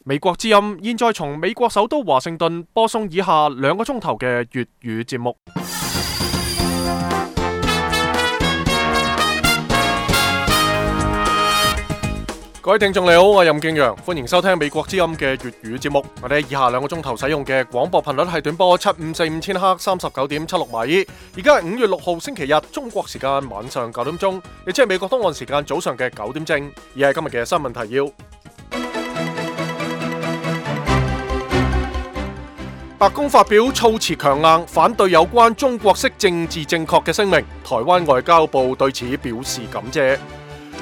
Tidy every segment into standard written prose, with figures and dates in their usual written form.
美國之音現在從美國首都華盛頓播送以下2個鐘頭嘅粵語節目。各位聽眾你好，我係任敬陽，歡迎收聽美國之音嘅粵語節目。我哋以下2個鐘頭使用嘅廣播頻率係短波7545千赫39.76米。而家係5月6號星期日，中國時間晚上9點鐘，亦即係美國東岸時間早上嘅9點正。而係今日嘅新聞提要。白宮發表措辭強硬，反對有關中國式政治正確嘅聲明。台灣外交部對此表示感謝。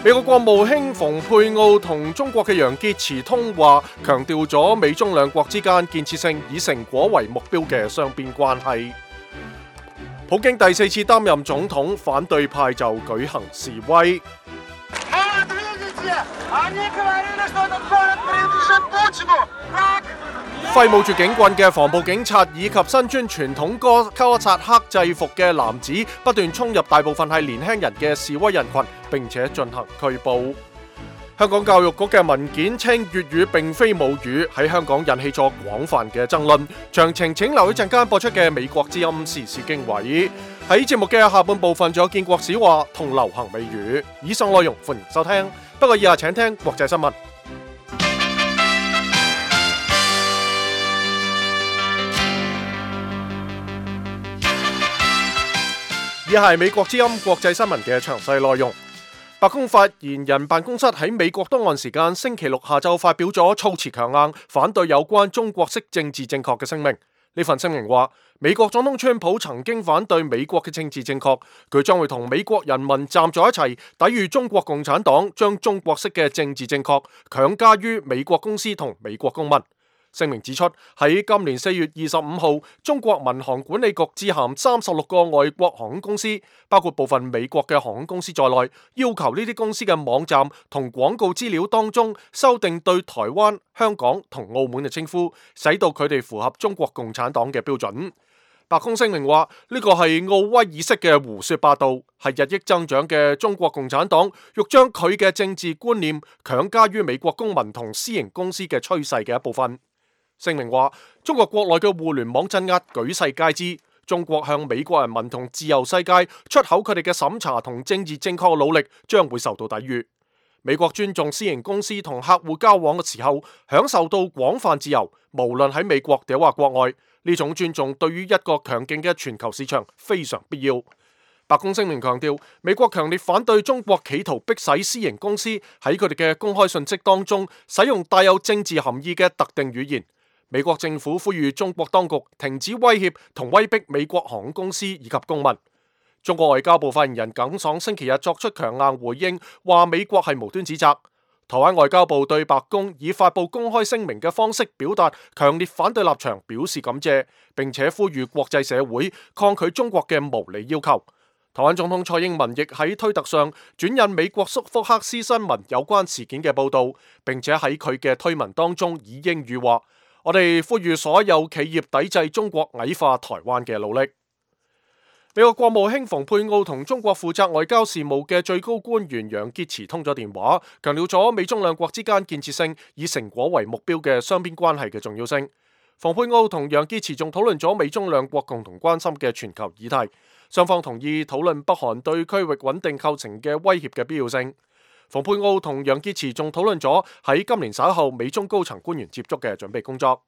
美國國務卿蓬佩奧同中國嘅楊潔篪通話，強調咗美中兩國之間建設性、以成果為目標嘅雙邊關係。普京第4次擔任總統，反對派就舉行示威。揮舞住警棍嘅防暴警察以及身穿傳統哥薩克制服嘅男子不斷衝入大部分係年輕人嘅示威人群，並且進行拘捕。香港教育局嘅文件稱粵語並非母語，喺香港引起咗廣泛嘅爭論。詳情請留一陣間播出嘅美國之音時事經緯。喺節目嘅下半部分仲有建國史話同流行美語。以上內容歡迎收聽，不過以下請聽國際新聞。以下係美國之音國際新聞嘅詳細內容。白宮發言人辦公室喺美國東岸時間星期六下晝發表咗措辭強硬，反對有關中國式政治正確嘅聲明。呢份聲明話，美國總統川普曾經反對美國嘅政治正確，佢將會同美國人民站在一齊，抵禦中國共產黨將中國式嘅政治正確強加於美國公司同美國公民。聲明指出，喺今年4月25號，中國民航管理局致函36個外國航空公司，包括部分美國嘅航空公司在內，要求呢啲公司嘅網站同廣告資料當中修訂對台灣、香港同澳門嘅稱呼，使到佢哋符合中國共產黨嘅標準。白宮聲明話，呢個係奧威爾式嘅胡說八道，係日益增長嘅中國共產黨欲將佢嘅政治觀念強加於美國公民同私營公司嘅趨勢嘅一部分。聲明話，中國國內嘅互聯網鎮壓舉世皆知，中國向美國人民同自由世界出口佢哋嘅審查同政治正確嘅努力將會受到抵禦。美國尊重私營公司同客戶交往嘅時候，享受到廣泛自由，無論喺美國定或國外，呢種尊重對於一個強勁嘅全球市場非常必要。白宮聲明強調，美國強烈反對中國企圖迫使私營公司喺佢哋嘅公開信息當中使用帶有政治含義嘅特定語言。美國政府呼籲中國當局停止威脅同威逼美國航空公司以及公民。中國外交部發言人耿爽星期日作出強硬回應，話美國係無端指責。台灣外交部對白宮以發布公開聲明嘅方式表達強烈反對立場表示感謝，並且呼籲國際社會抗拒中國嘅無理要求。台灣總統蔡英文亦喺推特上轉印美國福克斯新聞有關事件嘅報導，並且喺佢嘅推文當中以英語話：我哋呼籲所有企業抵制中國矮化台灣嘅努力。美國國務卿蓬佩奧同中國負責外交事務嘅最高官員楊潔篪通咗電話，強調咗美中兩國之間建設性、以成果為目標嘅雙邊關係嘅重要性。蓬佩奧同楊潔篪仲討論咗美中兩國共同關心嘅全球議題，雙方同意討論北韓對區域穩定構成嘅威脅嘅必要性。蓬佩奧同楊潔篪仲討論咗喺今年稍後美中高層官員接觸嘅準備工作。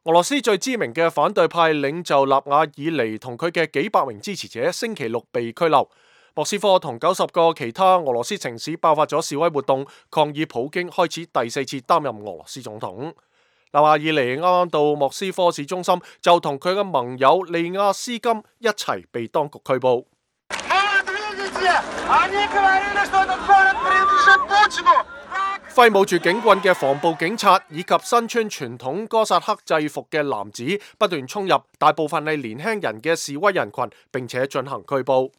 俄羅斯最知名嘅反對派領袖納瓦爾尼同佢嘅幾百名支持者星期六被拘留。莫斯科同90個其他俄羅斯城市爆發咗示威活動，抗議普京開始第4次擔任俄羅斯總統。納瓦爾尼啱啱到莫斯科市中心，就同佢嘅盟友利亞斯金一齊被當局拘捕。揮舞住警棍嘅防暴警察以及身穿傳統哥薩克制服嘅男子不斷衝入大部分係年輕人嘅示威人群，並且進行拘捕。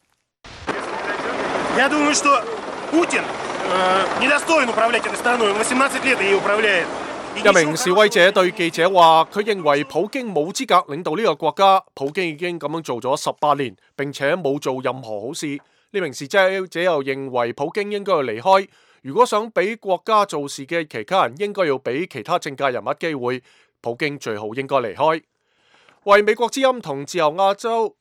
一名示威者對記者話，佢認為普京冇資格領導呢個國家，普京已經咁樣做咗18年，並且冇做任何好事。呢名示威者又認為普京應該要離開。如果想俾國家做事嘅其他人，應該要俾其他政界人物機會。普京最好應該離開。為美國之音同自由歐洲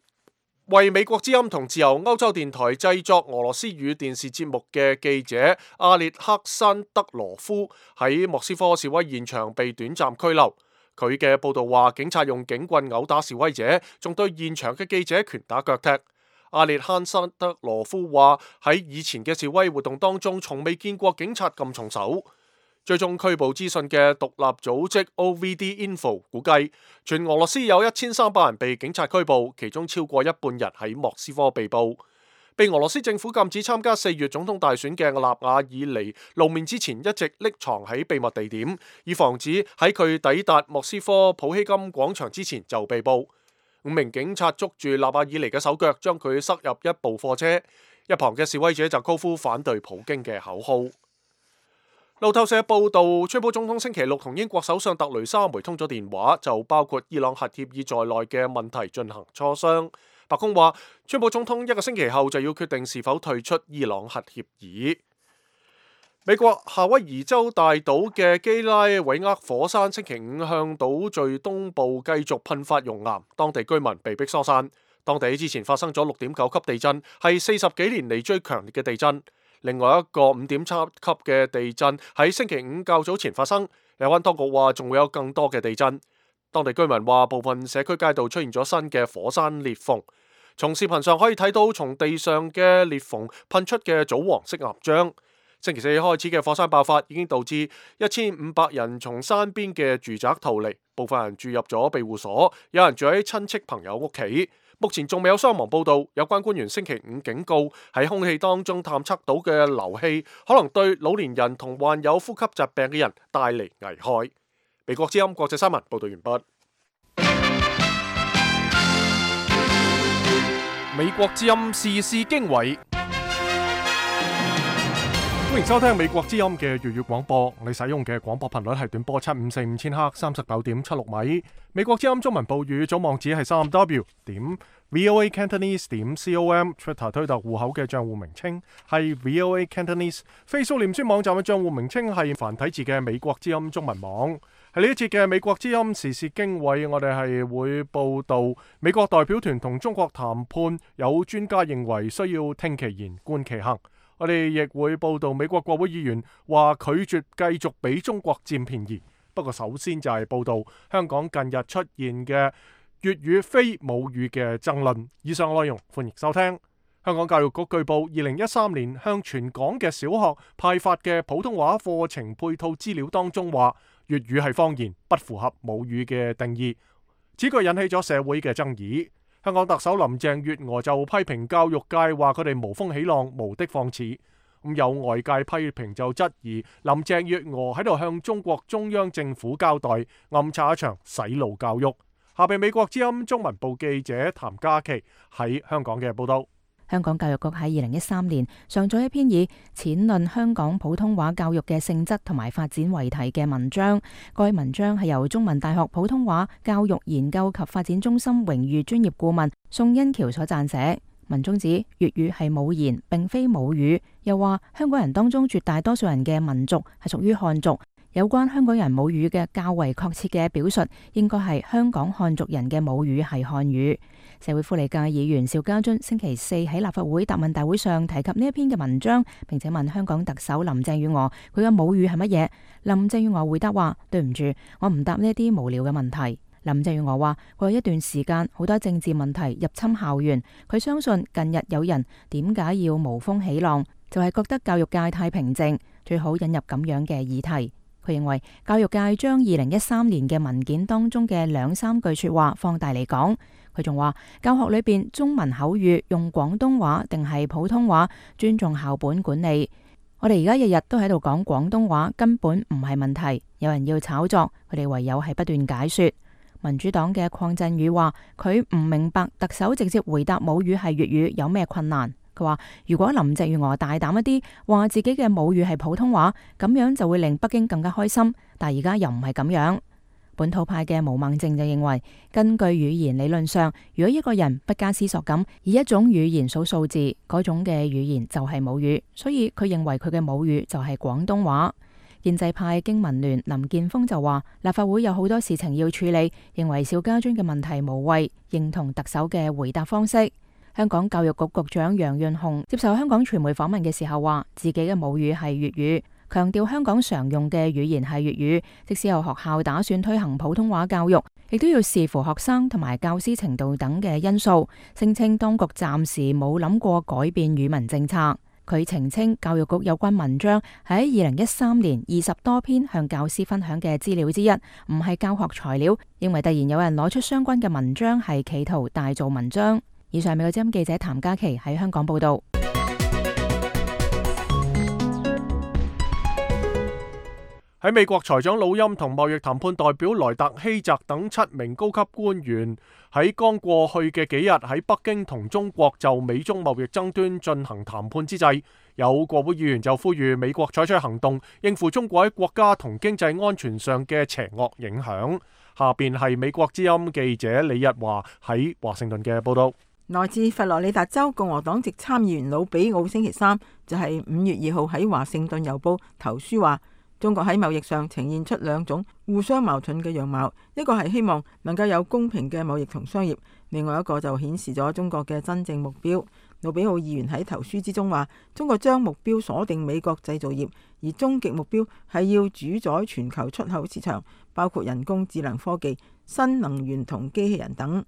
電台製作俄羅斯語電視節目嘅記者阿列克山德羅夫喺莫斯科示威現場被短暫拘留。佢嘅報道話，警察用警棍毆打示威者，仲對現場嘅記者拳打腳踢。阿列克山德羅夫話，喺以前嘅示威活動當中，從未見過警察咁重手。追蹤拘捕資訊嘅獨立組織 OVD Info 估計，全俄羅斯有1300人被警察拘捕，其中超過一半人喺莫斯科被捕。被俄羅斯政府禁止參加4月總統大選嘅納瓦爾尼露面之前，一直匿藏喺秘密地點，以防止喺佢抵達莫斯科普希金廣場之前就被捕。5名警察捉住納瓦爾尼嘅手腳，將佢塞入一部貨車。一旁嘅示威者就高呼反對普京嘅口號。路透社報道，川普總統星期六同英國首相特雷莎梅通咗電話，就包括伊朗核協議在內嘅問題進行磋商。白宮話，川普總統1個星期後就要決定是否退出伊朗核協議。美國夏威夷州大島嘅基拉韋厄火山星期五向島嶼東部繼續噴發熔岩，當地居民被迫疏散。當地之前發生咗6.9級地震，係40幾年嚟最強烈嘅地震。另外一個5.7級嘅地震喺星期五較早前發生，有關當局話仲會有更多嘅地震。當地居民話部分社區街道出現咗新嘅火山裂縫，從視頻上可以睇到從地上嘅裂縫噴出嘅棗黃色岩漿。星期四開始嘅火山爆發已經導致1500人從山邊嘅住宅逃離，部分人住入咗庇護所，有人住喺親戚朋友屋企。目前仲未有傷亡報道。有關官員星期五警告，喺空氣當中探測到嘅硫氣可能對老年人同患有呼吸疾病嘅人帶嚟危害。美國之音國際新聞報道完畢。美國之音時事經緯。歡迎收聽美國之音嘅粵語廣播，你使用嘅廣播頻率係短波7545000赫39.76米。美國之音中文部語總網址係3w.voacantonese.com，Twitter 推特戶口嘅賬戶名稱係 VOA Cantonese，Facebook 臉書網站嘅賬戶名稱係繁體字嘅美國之音中文網。喺呢一節嘅美國之音時事經緯，我哋係會報道美國代表團同中國談判，有專家認為需要聽其言觀其行。我哋亦會報道美國國會議員話拒絕繼續俾中國佔便宜。不過首先就係報道香港近日出現嘅粵語非母語嘅爭論。以上內容歡迎收聽。香港教育局據報2013年向全港嘅小學派發嘅普通話課程配套資料當中話粵語係方言，不符合母語嘅定義。此句引起咗社會嘅爭議。香港特首林鄭月娥就批評教育界話佢哋無風起浪、無的放矢。有外界批評就質疑林鄭月娥喺度向中國中央政府交代，暗插一場洗腦教育。下邊美國之音中文部記者譚嘉琪喺香港嘅報道。香港教育局喺2013年上咗一篇以淺論香港普通話教育嘅性質同埋發展為題嘅文章。該文章係由中文大學普通話教育研究及發展中心榮譽專業顧問宋欣橋所撰寫。文中指粵語係母言，並非母語，又話香港人當中絕大多數人嘅民族係屬於漢族。有關香港人母語嘅較為確切嘅表述，應該係香港漢族人嘅母語係漢語。社會福利界議員邵家臻星期四喺立法會答問大會上提及呢一篇嘅文章，並且問香港特首林鄭月娥佢嘅母語係乜嘢。林鄭月娥回答話：對唔住，我唔答呢一啲無聊嘅問題。林鄭月娥話：過去一段時間好多政治問題入侵校園，佢相信近日有人點解要無風起浪，就係覺得教育界太平靜，最好引入咁樣嘅議題。佢認為教育界將2013年嘅文件當中嘅2-3句說話放大嚟講。佢仲話教學裏邊中文口語用廣東話定係普通話，尊重校本管理。我哋而家日日都喺度講廣東話，根本唔係問題。有人要炒作，佢哋唯有係不斷解說。民主黨嘅鄺振宇話佢唔明白特首直接回答母語係粵語有咩困難。佢話如果林鄭月娥大膽一啲，話自己嘅母語係普通話，咁樣就會令北京更加開心。但而家又唔係咁樣。本土派嘅毛孟靜就認為，根據語言理論上，如果一個人不加思索咁以一種語言數數字，嗰種嘅語言就係母語，所以佢認為佢嘅母語就係廣東話。建制派經民聯林健鋒就話，立法會有好多事情要處理，認為邵家臻嘅問題無謂，認同特首嘅回答方式。香港教育局局長楊潤雄接受香港傳媒訪問嘅時候話，自己嘅母語係粵語，強調香港常用嘅語言係粵語，即使有學校打算推行普通話教育，亦都要視乎學生同埋教師程度等嘅因素。聲稱當局暫時冇諗過改變語文政策。佢澄清，教育局有關文章喺2013年20多篇向教師分享嘅資料之一，唔係教學材料，認為突然有人攞出相關嘅文章係企圖大做文章。以上美國之音記者譚嘉琪喺香港報道。喺美國財長魯欽同貿易談判代表萊特希澤等7名高級官員喺剛過去嘅幾日喺北京同中國就美中貿易爭端進行談判之際，有國會議員就呼籲美國採取行動應付中國喺國家同經濟安全上嘅邪惡影響。下邊係美國之音記者李日華喺華盛頓嘅報道。來自佛羅里達州共和黨籍參議員魯比奧星期三就係5月2號喺華盛頓郵報投書話，中國喺貿易上呈現出兩種互相矛盾嘅樣貌，一個係希望能夠有公平嘅貿易同商業，另外一個就顯示咗中國嘅真正目標。魯比奧議員喺投書之中話，中國將目標鎖定美國製造業，而終極目標係要主宰全球出口市場，包括人工智能科技、新能源同機器人等。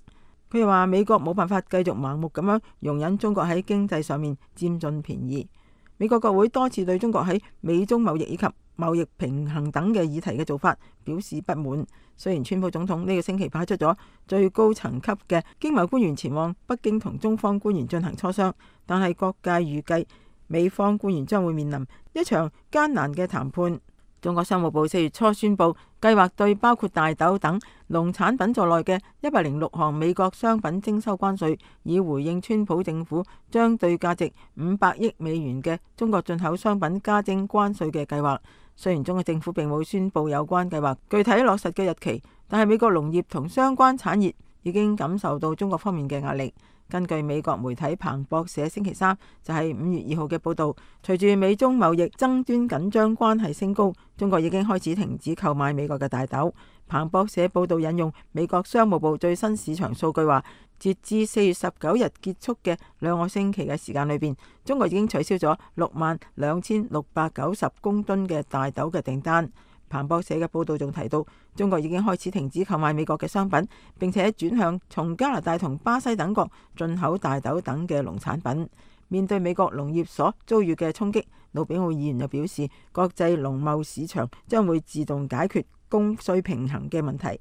佢又話，美國冇辦法繼續盲目咁樣容忍中國喺經濟上面佔盡便宜。美國國會多次對中國喺美中貿易以及貿易平衡等嘅議題嘅做法表示不滿。雖然川普總統呢個星期派出咗最高層級嘅經貿官員前往北京同中方官員進行磋商，但係各界預計美方官員將會面臨一場艱難嘅談判。中國商務部4月初宣布，計劃對包括大豆等農產品在內嘅106項美國商品徵收關稅，以回應川普政府將對價值500億美元嘅中國進口商品加徵關稅嘅計劃。雖然中國政府並冇宣布有關計劃具體落實嘅日期，但係美國農業同相關產業已經感受到中國方面嘅壓力。根據美國媒體彭博社星期三就係5月2號嘅報導，隨住美中貿易爭端緊張關係升高，中國已經開始停止購買美國嘅大豆。彭博社報導引用美國商務部最新市場數據話，截至4月19日結束嘅2個星期嘅時間裏邊，中國已經取消咗62,690公噸嘅大豆嘅訂單。彭博社嘅報導仲提到，中國已經開始停止購買美國嘅商品，並且轉向從加拿大同巴西等國進口大豆等嘅農產品。面對美國農業所遭遇嘅衝擊，魯比奧議員又表示，國際農貿市場將會自動解決供需平衡嘅問題。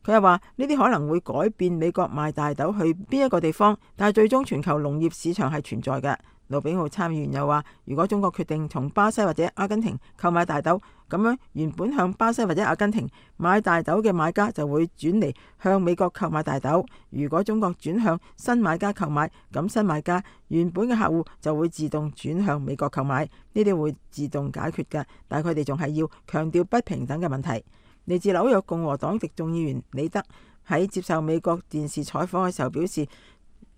佢又話，呢啲可能會改變美國賣大豆去邊一個地方，但係最終全球農業市場係存在嘅。魯比奧參議員又話，如果中國決定從巴西或者阿根廷購買大豆，咁樣原本向巴西或者阿根廷買大豆嘅買家就會轉嚟向美國購買大豆。如果中國轉向新買家購買，咁新買家原本嘅客戶就會自動轉向美國購買，呢啲會自動解決嘅。但係佢哋仲係要強調不平等嘅問題。嚟自紐約共和黨籍眾議員李德喺接受美國電視採訪嘅時候表示，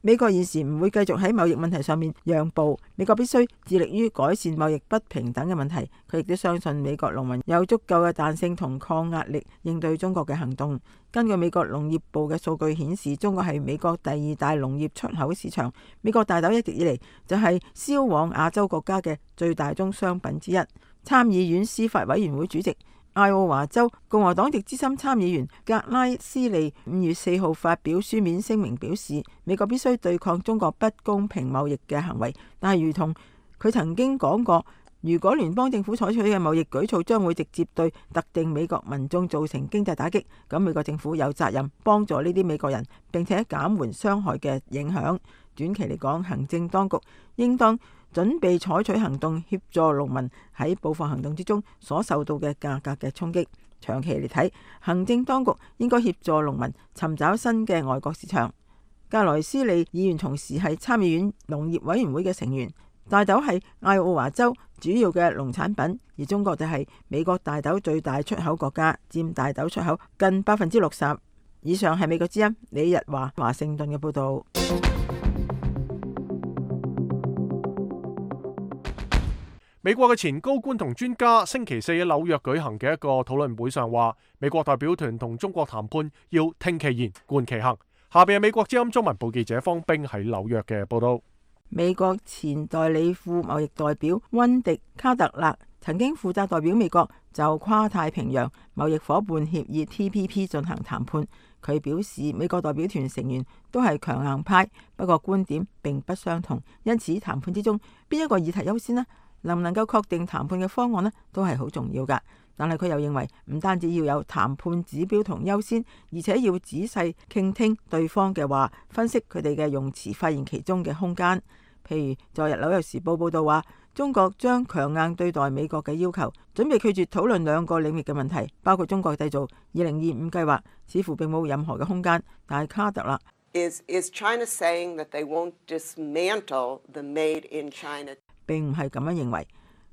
美國現時唔會繼續喺貿易問題上面讓步，美國必須致力於改善貿易不平等嘅問題。佢亦都相信美國農民有足夠嘅彈性同抗壓力應對中國嘅行動。根據美國農業部嘅數據顯示，中國係美國第2大農業出口市場。美國大豆一直以嚟就係銷往亞洲國家嘅最大宗商品之一。參議院司法委員會主席艾奧華州共和黨籍資深參議員格拉斯利5月4號發表書面聲明表示，美國必須對抗中國不公平貿易嘅行為，但係如同佢曾經講過，如果聯邦政府採取嘅貿易舉措將會直接對特定美國民眾造成經濟打擊，咁美國政府有責任幫助呢啲美國人，並且減緩傷害嘅影響。短期嚟講，行政當局應當準備採取行動協助農民喺報復行動之中所受到嘅價格嘅衝擊。長期嚟睇，行政當局應該協助農民尋找新嘅外國市場。格萊斯利議員同時係參議院農業委員會嘅成員，大豆係艾奧華州主要嘅農產品，而中國就係美國大豆最大出口國家，佔大豆出口近60%。以上係美國之音李日華華盛頓嘅報導。美國嘅前高官同專家星期四喺紐約舉行嘅一個討論會上話，美國代表團同中國談判要聽其言，觀其行。下邊係美國之音中文部記者方冰喺紐約嘅報導。美國前代理副貿易代表溫迪卡特勒曾經負責代表美國就跨太平洋貿易夥伴協議 TPP 進行談判。佢表示，美國代表團成員都係強硬派，不過觀點並不相同，因此談判之中邊一個議題優先呢？能唔能夠確定談判嘅方案呢？都係好重要㗎。但係佢又認為唔單止要有談判指標同優先，而且要仔細傾聽對方嘅話，分析佢哋嘅用詞，發現其中嘅空間。譬如昨日紐約時報報道話，中國將強硬對待美國嘅要求，準備拒絕討論2個領域嘅問題，包括中國製造2025計劃，似乎並冇任何嘅空間。但係卡特勒Is China saying that they won't dismantle the made in China？並唔係咁樣認為。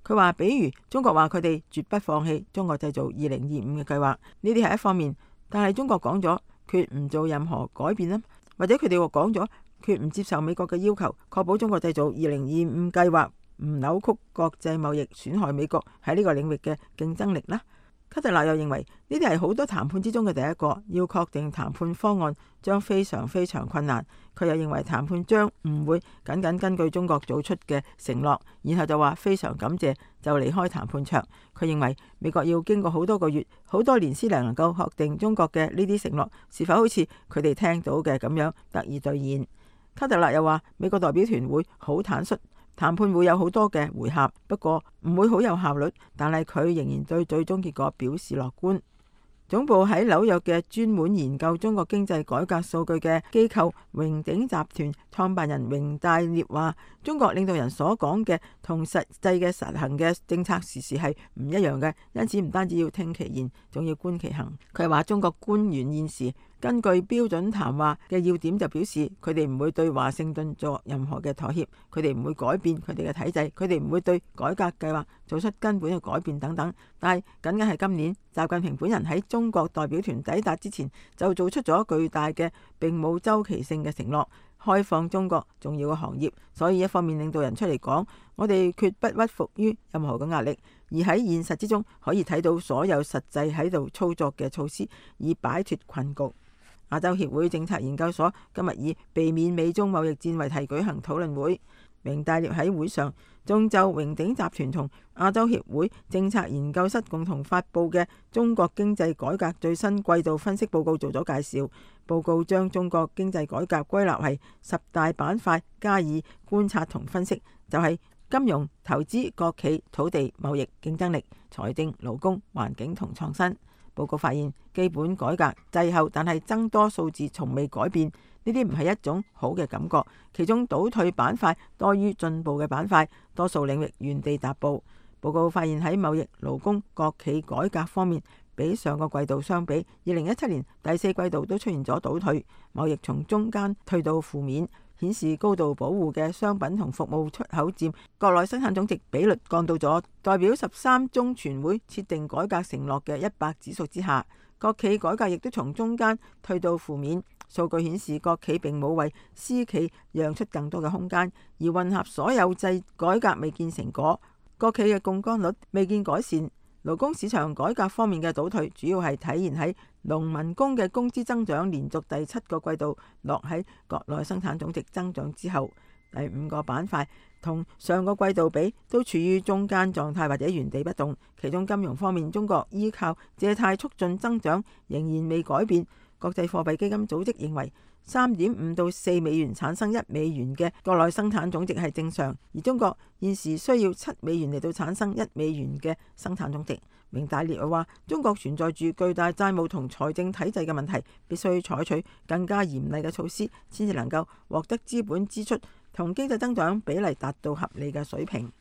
佢話，比如中國話佢哋絕不放棄中國製造2025嘅計劃，呢啲係一方面，但係中國講咗決唔做任何改變啦，或者佢哋話講咗決唔接受美國嘅要求，確保中國製造2025計劃唔扭曲國際貿易，損害美國喺呢個領域嘅競爭力啦。卡特勒又認為呢啲係好多談判之中嘅第一個，要確定談判方案將非常非常困難。佢又認為談判將唔會僅僅根據中國做出嘅承諾，然後就話非常感謝就離開談判桌。佢認為美國要經過好多個月、好多年先能夠確定中國嘅呢啲承諾是否好似佢哋聽到嘅咁樣得以兌現。卡特勒又話美國代表團會好坦率，談判會有好多嘅回合，不過唔會好有效率，但係佢仍然對最終結果表示樂觀。總部喺紐約嘅專門研究中國經濟改革數據嘅機構榮鼎集團創辦人榮大烈話，中國領導人所講嘅同實際嘅實行嘅政策時時係唔一樣嘅，因此唔單止要聽其言，仲要觀其行。佢話中國官員現時根據標準談話嘅要點就表示，佢哋唔會對華盛頓作任何嘅妥協，佢哋唔會改變佢哋嘅體制，佢哋唔會對改革計劃做出根本嘅改變等等。但係僅僅係今年，習近平本人喺中國代表團抵達之前就做出咗巨大嘅並冇周期性嘅承諾，開放中國重要嘅行業。所以一方面領導人出嚟講，我哋決不屈服於任何嘅壓力，而喺現實之中可以睇到所有實際喺度操作嘅措施，以擺脫困局。亞洲協會政策研究所今日以避免美中貿易戰為題舉行討論會，榮大烈喺會上仲就榮鼎集團同亞洲協會政策研究室共同發佈嘅中國經濟改革最新季度分析報告做咗介紹。報告將中國經濟改革歸納為10大板塊加以觀察同分析，就係金融、投資、國企、土地、貿易、競爭力、財政、勞工、環境同創新。報告發現，基本改革滯後，但係增多數字從未改變，呢啲唔係一種好嘅感覺。其中倒退板塊多於進步嘅板塊，多數領域原地踏步。報告發現喺貿易、勞工、國企改革方面，比上個季度相比，2017年第4季度都出現咗倒退，貿易從中間退到負面，顯示高度保護嘅商品同服務出口佔國內生產總值比率降到咗代表13中全會設定改革承諾嘅100指數之下。國企改革亦都從中間退到負面，數據顯示國企並冇為私企讓出更多嘅空間，而混合所有制改革未見成果，國企嘅槓桿率未見改善。勞工市場改革方面嘅倒退，主要係體現喺農民工嘅工資增長連續第7個季度落喺國內生產總值增長之後。第5個板塊同上個季度比都處於中間狀態或者原地不動。其中金融方面，中國依靠借貸促進增長仍然未改變。國際貨幣基金組織認為3.5到4美元產生1美元嘅國內生產總值係正常，而中國現時需要7美元嚟到產生1美元嘅生產總值。榮大烈話，中國存在住巨大債務同財政體制嘅問題，必須採取更加嚴厲嘅措施，先至能夠獲得資本支出同經濟增長比例達到合理嘅水平。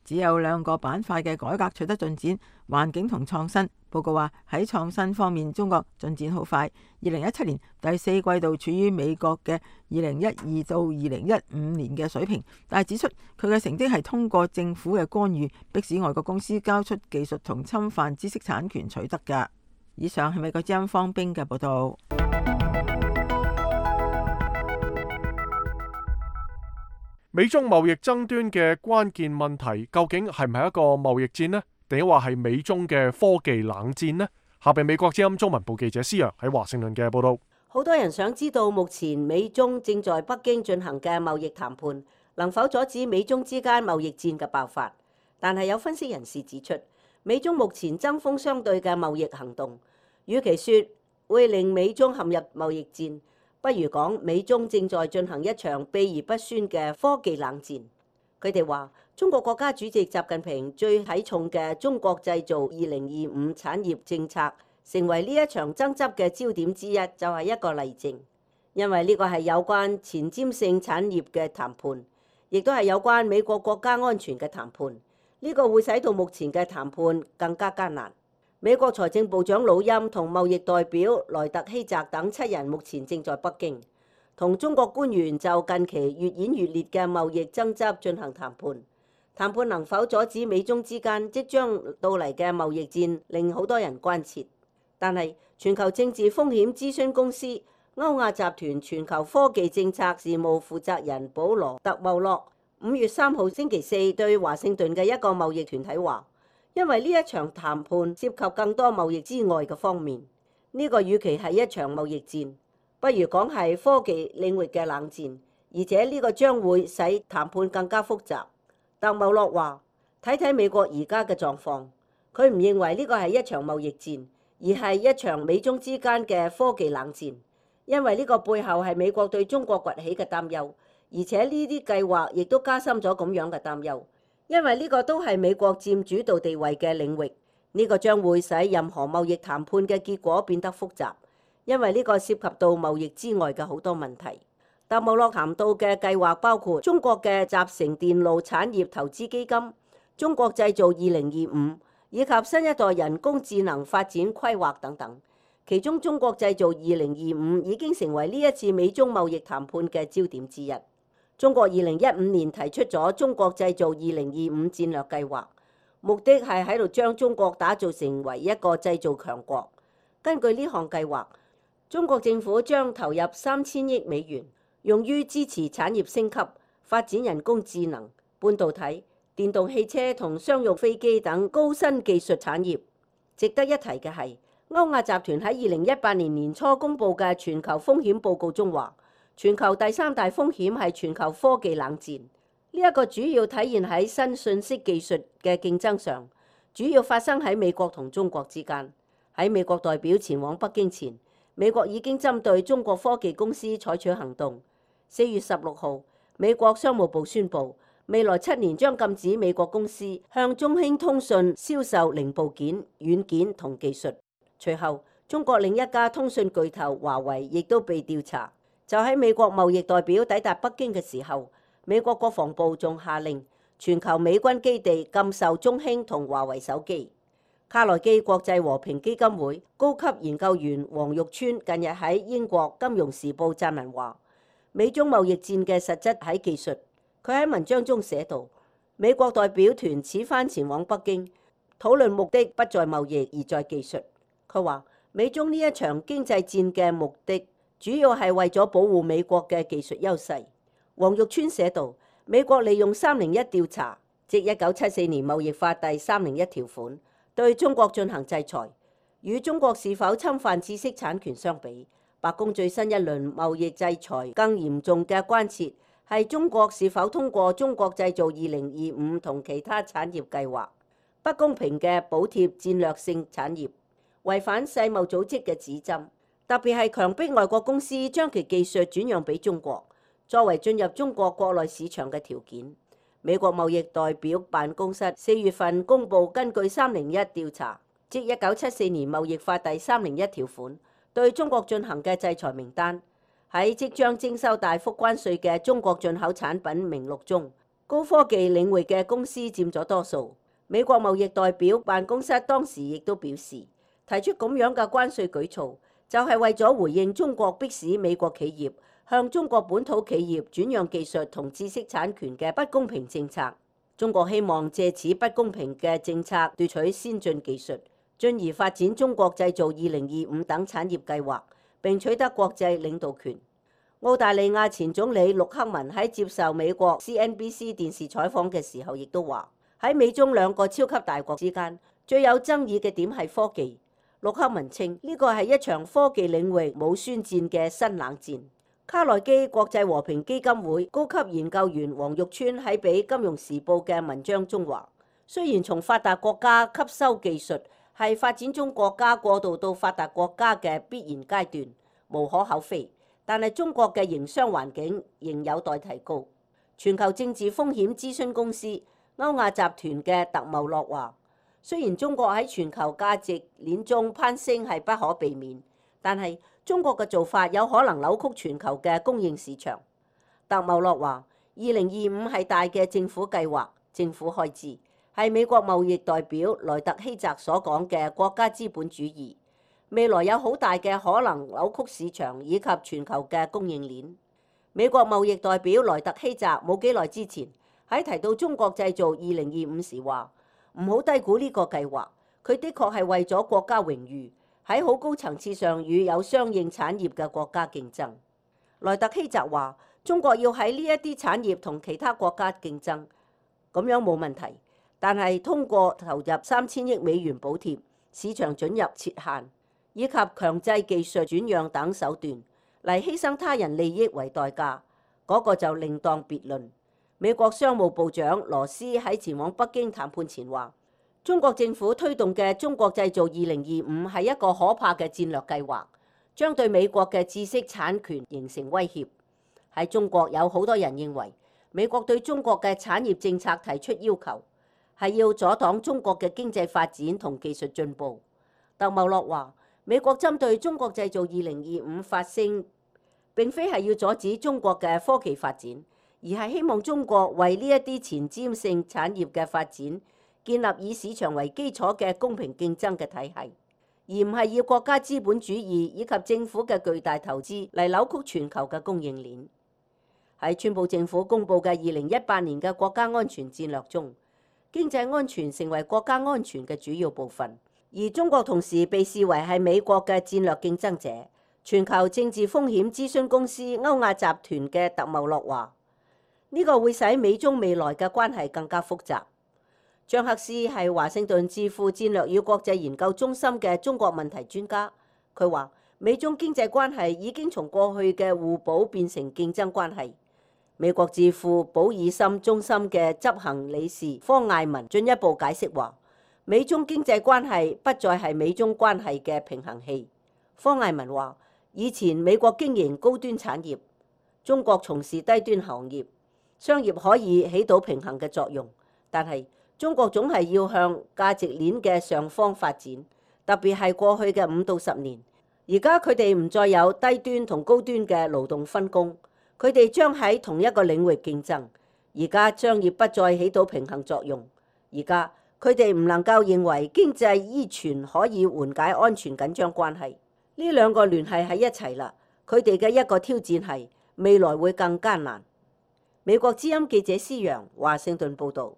只有2個板塊嘅改革取得進展，環境同創新。報告話喺創新方面，中國進展好快。2017年第4季度處於美國嘅2012到2015年嘅水平，但係指出佢嘅成績係通過政府嘅干預，迫使外國公司交出技術同侵犯知識產權取得㗎。以上係美國之音方冰嘅報道。美中貿易爭端嘅關鍵問題究竟係唔係一個貿易戰呢？定係話係美中嘅科技冷戰呢？下邊美國之音中文部記者施洋喺華盛頓嘅報道。好多人想知道目前美中正在北京進行嘅貿易談判能否阻止美中之間貿易戰嘅爆發，但係有分析人士指出，美中目前針鋒相對嘅貿易行動，與其說會令美中陷入貿易戰，不如講美中正在進行一場秘而不宣嘅科技冷戰。佢哋話，中國國家主席習近平最睇重嘅中國製造2025產業政策，成為呢一場爭執嘅焦點之一，就係一個例證。因為呢個係有關前瞻性產業嘅談判，亦都係有關美國國家安全嘅談判。呢個會使到目前嘅談判更加艱難。美國財政部長魯欽同貿易代表萊特希澤等7人目前正在北京，同中國官員就近期越演越烈嘅貿易爭執進行談判。談判能否阻止美中之間即將到嚟嘅貿易戰，令好多人關切。但係全球政治風險諮詢公司歐亞集團全球科技政策事務負責人保羅特茂洛5月3號星期四對華盛頓嘅一個貿易團體話，因為呢一場談判涉及更多貿易之外嘅方面，呢個與其係一場貿易戰，不如講係科技領域嘅冷戰，而且呢個將會使談判更加複雜。特茂洛話：睇睇美國而家嘅狀況，佢唔認為呢個係一場貿易戰，而係一場美中之間嘅科技冷戰，因為呢個背後係美國對中國崛起嘅擔憂，而且呢啲計劃亦都加深咗咁樣嘅擔憂，因為呢個都係美國佔主導地位嘅領域，呢個將會使任何貿易談判嘅結果變得複雜，因為呢個涉及到貿易之外嘅好多問題。特茂洛談到嘅計劃包括中國嘅集成電路產業投資基金、中國製造2025以及新一代人工智能發展規劃等等。其中中國製造2025已經成為呢一次美中貿易談判嘅焦點之一。中國2015年提出咗中國製造2025戰略計劃，目的係喺度將中國打造成為一個製造強國。根據呢項計劃，中國政府將投入3000億美元，用於支持產業升級、發展人工智能、半導體、電動汽車同商用飛機等高新技術產業。值得一提嘅係，歐亞集團喺2018年年初公布嘅全球風險報告中話，全球第3大風險係全球科技冷戰。呢一個主要體現喺新信息技術嘅競爭上，主要發生喺美國同中國之間。喺美國代表前往北京前，美國已經針對中國科技公司採取行動。4月16號，美國商務部宣布，未來7年將禁止美國公司向中興通訊銷售零部件、軟件同技術。隨後，中國另一家通訊巨頭華為亦都被調查。就喺美國貿易代表抵達北京嘅時候，美國國防部仲下令全球美軍基地禁售中興同華為手機。卡內基國際和平基金會高級研究員黃玉川近日喺英國《金融時報》撰文話，美中貿易戰嘅實質喺技術。佢喺文章中寫道，美國代表團此番前往北京，討論目的不在貿易而在技術。佢話，美中呢一場經濟戰嘅目的主要係為咗保護美國嘅技術優勢。黃玉川寫道，美國利用301調查，即1974年貿易法第301條款，對中國進行制裁。與中國是否侵犯知識產權相比，白宮最新一輪貿易制裁更嚴重嘅關切係中國是否通過中國製造2025同其他產業計劃，不公平嘅補貼戰略性產業，違反世貿組織嘅指針，特別係強迫外國公司將其技術轉讓俾中國，作為進入中國國內市場嘅條件。美國貿易代表辦公室4月份公佈根據301調查，即1974年貿易法第301條款，對中國進行嘅制裁名單。喺即將徵收大幅關稅嘅中國進口產品名錄中，高科技領域嘅公司佔咗多數。美國貿易代表辦公室當時亦都表示，提出咁樣嘅關稅舉措，就係為咗回應中國迫使美國企業向中國本土企業轉讓技術同知識產權嘅不公平政策。中國希望借此不公平嘅政策奪取先進技術，進而發展中國製造2025等產業計劃，並取得國際領導權。澳大利亞前總理陸克文喺接受美國 CNBC 電視採訪嘅時候，亦都話喺美中兩個超級大國之間，最有爭議嘅點係科技。陸克文稱呢個係一場科技領域冇宣戰嘅新冷戰。卡內基國際和平基金會高級研究員黃玉川喺俾《金融時報》嘅文章中話，雖然從發達國家吸收技術係發展中國家過渡到發達國家嘅必然階段，無可厚非，但係中國嘅營商環境仍有待提高。全球政治風險諮詢公司歐亞集團嘅特茂洛話，雖然中國喺全球價值鏈中攀升係不可避免，但係中國嘅做法有可能扭曲全球嘅供應市場。特茂洛話，2025係大嘅政府計劃、政府開支，係美國貿易代表萊特希澤所講嘅國家資本主義，未來有好大嘅可能扭曲市場以及全球嘅供應鏈。美國貿易代表萊特希澤冇幾耐之前喺提到中國製造2025時話，唔好低估呢個計劃，佢的確係為咗國家榮譽，喺好高層次上與有相應產業嘅國家競爭。萊特希澤話，中國要喺呢一啲產業同其他國家競爭，咁樣冇問題，但係通過投入3000億美元補貼、市場准入設限以及強制技術轉讓等手段嚟犧牲他人利益為代價，嗰個就另當別論。美國商務部長羅斯喺前往北京談判前話，中國政府推動嘅中國製造2025係一個可怕嘅戰略計劃，將對美國嘅知識產權形成威脅。喺中國有好多人認為，美國對中國嘅產業政策提出要求，係要阻擋中國嘅經濟發展同技術進步。特茂洛話，美國針對中國製造2025發聲，並非係要阻止中國嘅科技發展，而係希望中國為呢一啲前瞻性產業嘅發展建立以市場為基礎嘅公平競爭嘅體系，而唔係要國家資本主義以及政府嘅巨大投資嚟扭曲全球嘅供應鏈。喺川普政府公布嘅2018年嘅國家安全戰略中，經濟安全成為國家安全嘅主要部分，而中國同時被視為係美國嘅戰略競爭者。全球政治風險諮詢公司歐亞集團嘅特茂洛話，呢個會使美中未來嘅關係更加複雜。張克斯係華盛頓智庫戰略與國際研究中心嘅中國問題專家，佢話美中經濟關係已經從過去嘅互補變成競爭關係。美國智庫保爾森中心嘅執行理事方艾文進一步解釋話，美中經濟關係不再係美中關係嘅平衡器。方艾文話，以前美國經營高端產業，中國從事低端行業，商業可以起到平衡嘅作用，但係中國總係要向價值鏈嘅上方發展，特別係過去嘅5到10年。而家佢哋唔再有低端同高端嘅勞動分工，佢哋將喺同一個領域競爭。而家商業不再起到平衡作用，而家佢哋唔能夠認為經濟依存可以緩解安全緊張關係。呢兩個聯繫喺一齊啦，佢哋嘅一個挑戰係未來會更艱難。美國之音記者施陽，華盛頓報導。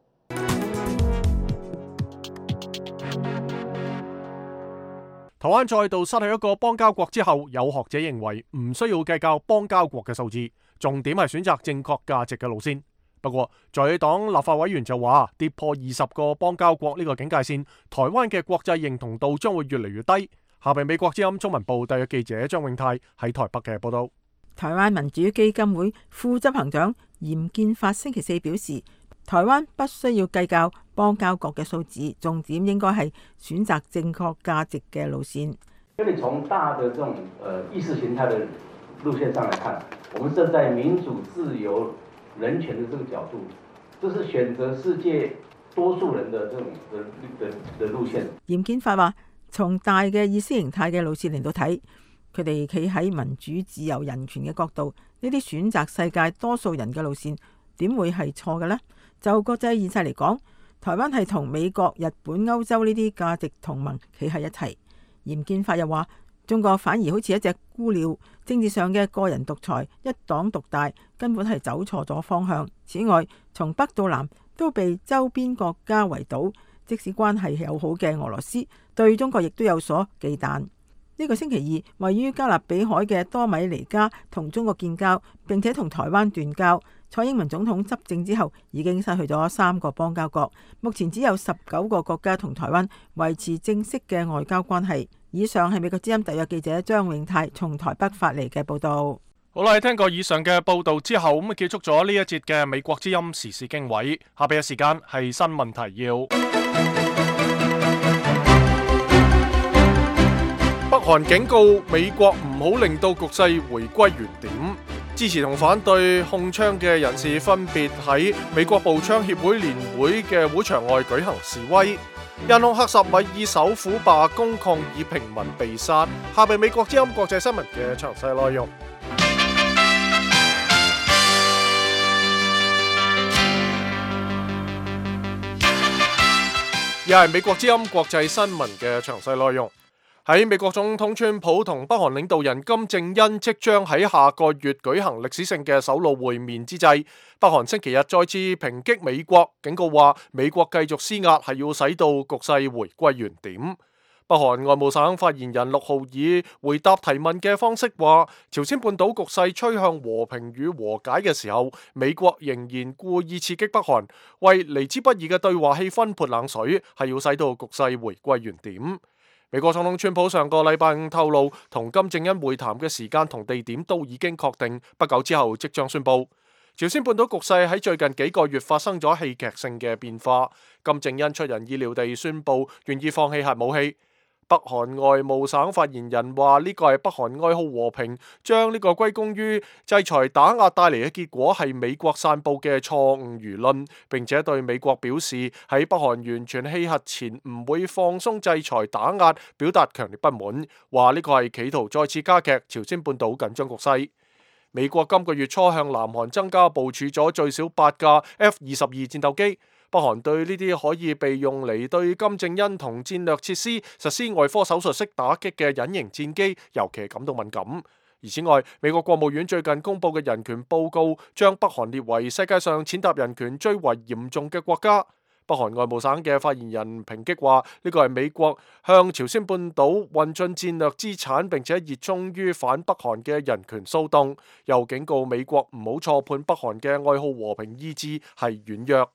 台灣再度失去一個邦交國之後，有學者認為唔需要計較邦交國嘅數字，重點係選擇正確價值嘅路線。不過在野黨立法委員就話，跌破20個邦交國呢個警戒線，台灣嘅國際認同度將會越嚟越低。下邊美國之音中文部特約記者張永泰喺台北嘅報道。台灣民主基金會副執行長嚴建發星期4表示，台灣不需要計較邦交國嘅數字，重點應該係選擇正確價值嘅路線。因為從大的這種意識形態的路線上來看，我們站在民主、自由、人權的這個角度，這是選擇世界多數人的這種的路線。嚴建發話，從大嘅意識形態嘅路線嚟到睇，佢哋企喺民主、自由、人權嘅角度，呢啲選擇世界多數人嘅路線點會係錯嘅呢？就國際現實嚟講，台灣係同美國、日本、歐洲呢啲價值同盟企喺一齊。嚴建發又話，中國反而好似一隻孤鳥，政治上嘅個人獨裁、一黨獨大，根本係走錯咗方向。此外，從北到南都被周邊國家圍堵，即使關係友好嘅俄羅斯對中國亦都有所忌憚。呢個星期二，位於加勒比海嘅多米尼加同中國建交，並且同台灣斷交。蔡英文總統執政之後，已經失去咗3個邦交國，目前只有19個國家同台灣維持正式嘅外交關係。以上係美國之音特約記者張永泰從台北發嚟嘅報道。好啦，聽過以上嘅報道之後，咁結束咗呢一節嘅美國之音時事經緯。下邊嘅時間係新聞提要。北韓警告美國唔好令到局勢回歸原點。支持同反對控槍嘅人士分別喺美國步槍協會年會嘅會場外舉行示威。印控克什米爾首府罷工抗議平民被殺。下邊美國之音國際新聞嘅詳細內容。又係美國之音國際新聞嘅詳細內容。喺美國總統川普同北韓領導人金正恩即將喺下個月舉行歷史性嘅首腦會面之際，北韓星期日再次抨擊美國，警告話美國繼續施壓係要使到局勢回歸原點。北韓外務省發言人6號以回答提問嘅方式話，朝鮮半島局勢趨向和平與和解嘅時候，美國仍然故意刺激北韓，為嚟之不易嘅對話氣氛潑冷水，係要使到局勢回歸原點。美國總統川普上個禮拜5透露，同金正恩會談嘅時間同地點都已經確定，不久之後即將宣佈。朝鮮半島局勢喺最近幾個月發生咗戲劇性嘅變化，金正恩出人意料地宣佈願意放棄核武器。北韓外務省發言人話呢個係北韓愛好和平，將呢個歸功於制裁打壓帶嚟嘅結果係美國散佈嘅錯誤輿論，並且對美國表示喺北韓完全棄核前唔會放鬆制裁打壓，表達強烈不滿，話呢個係企圖再次加劇朝鮮半島緊張局勢。美國今個月初向南韓增加部署咗最少8架 F-22戰鬥機。北韓對呢啲可以被用嚟對金正恩同戰略設施實施外科手術式打擊嘅隱形戰機，尤其感到敏感。而此外，美國國務院最近公布嘅人權報告，將北韓列為世界上踐踏人權最為嚴重嘅國家。北韓外務省嘅發言人抨擊話，呢個係美國向朝鮮半島運進戰略資產，並且熱衷於反北韓嘅人權騷動，又警告美國唔好錯判北韓嘅愛好和平意志係軟弱。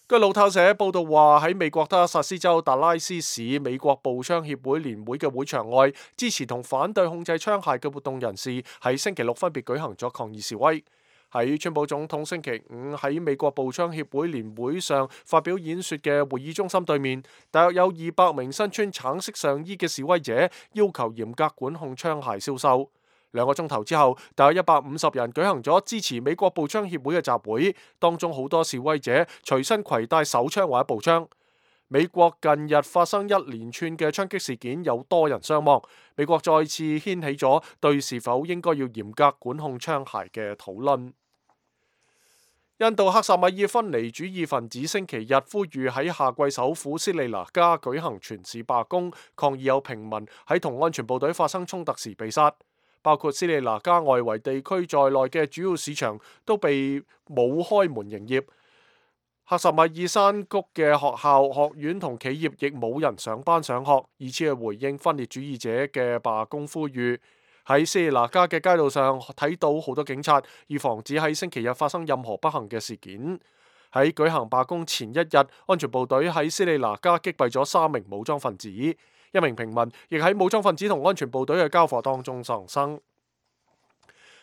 據路透社報道話，喺美國德克薩斯州達拉斯市美國步槍協會年會嘅會場外，支持同反對控制槍械嘅活動人士喺星期六分別舉行咗抗議示威。喺川普總統星期5喺美國步槍協會年會上發表演說嘅會議中心對面，大約有200名身穿橙色上衣嘅示威者要求嚴格管控槍械銷售。2個鐘頭之後，大約150人舉行咗支持美國步槍協會嘅集會，當中好多示威者隨身攜帶手槍或者步槍。美國近日發生一連串嘅槍擊事件，有多人傷亡。美國再次掀起咗對是否應該要嚴格管控槍械嘅討論。印度克什米爾分離主義分子星期日呼籲喺夏季首府斯里蘭卡舉行全市罷工，抗議有平民喺同安全部隊發生衝突時被殺。包括斯里蘭卡外圍地區在內嘅主要市場都被冇開門營業。克什米爾山谷嘅學校、學院同企業亦冇人上班上學，以此去回應分裂主義者嘅罷工呼籲。喺斯里蘭卡嘅街道上睇到好多警察，以防止喺星期日發生任何不幸嘅事件。喺舉行罷工前一日，安全部隊喺斯里蘭卡擊斃咗3名武裝分子。1名平民亦喺武裝分子同安全部隊嘅交火當中喪生。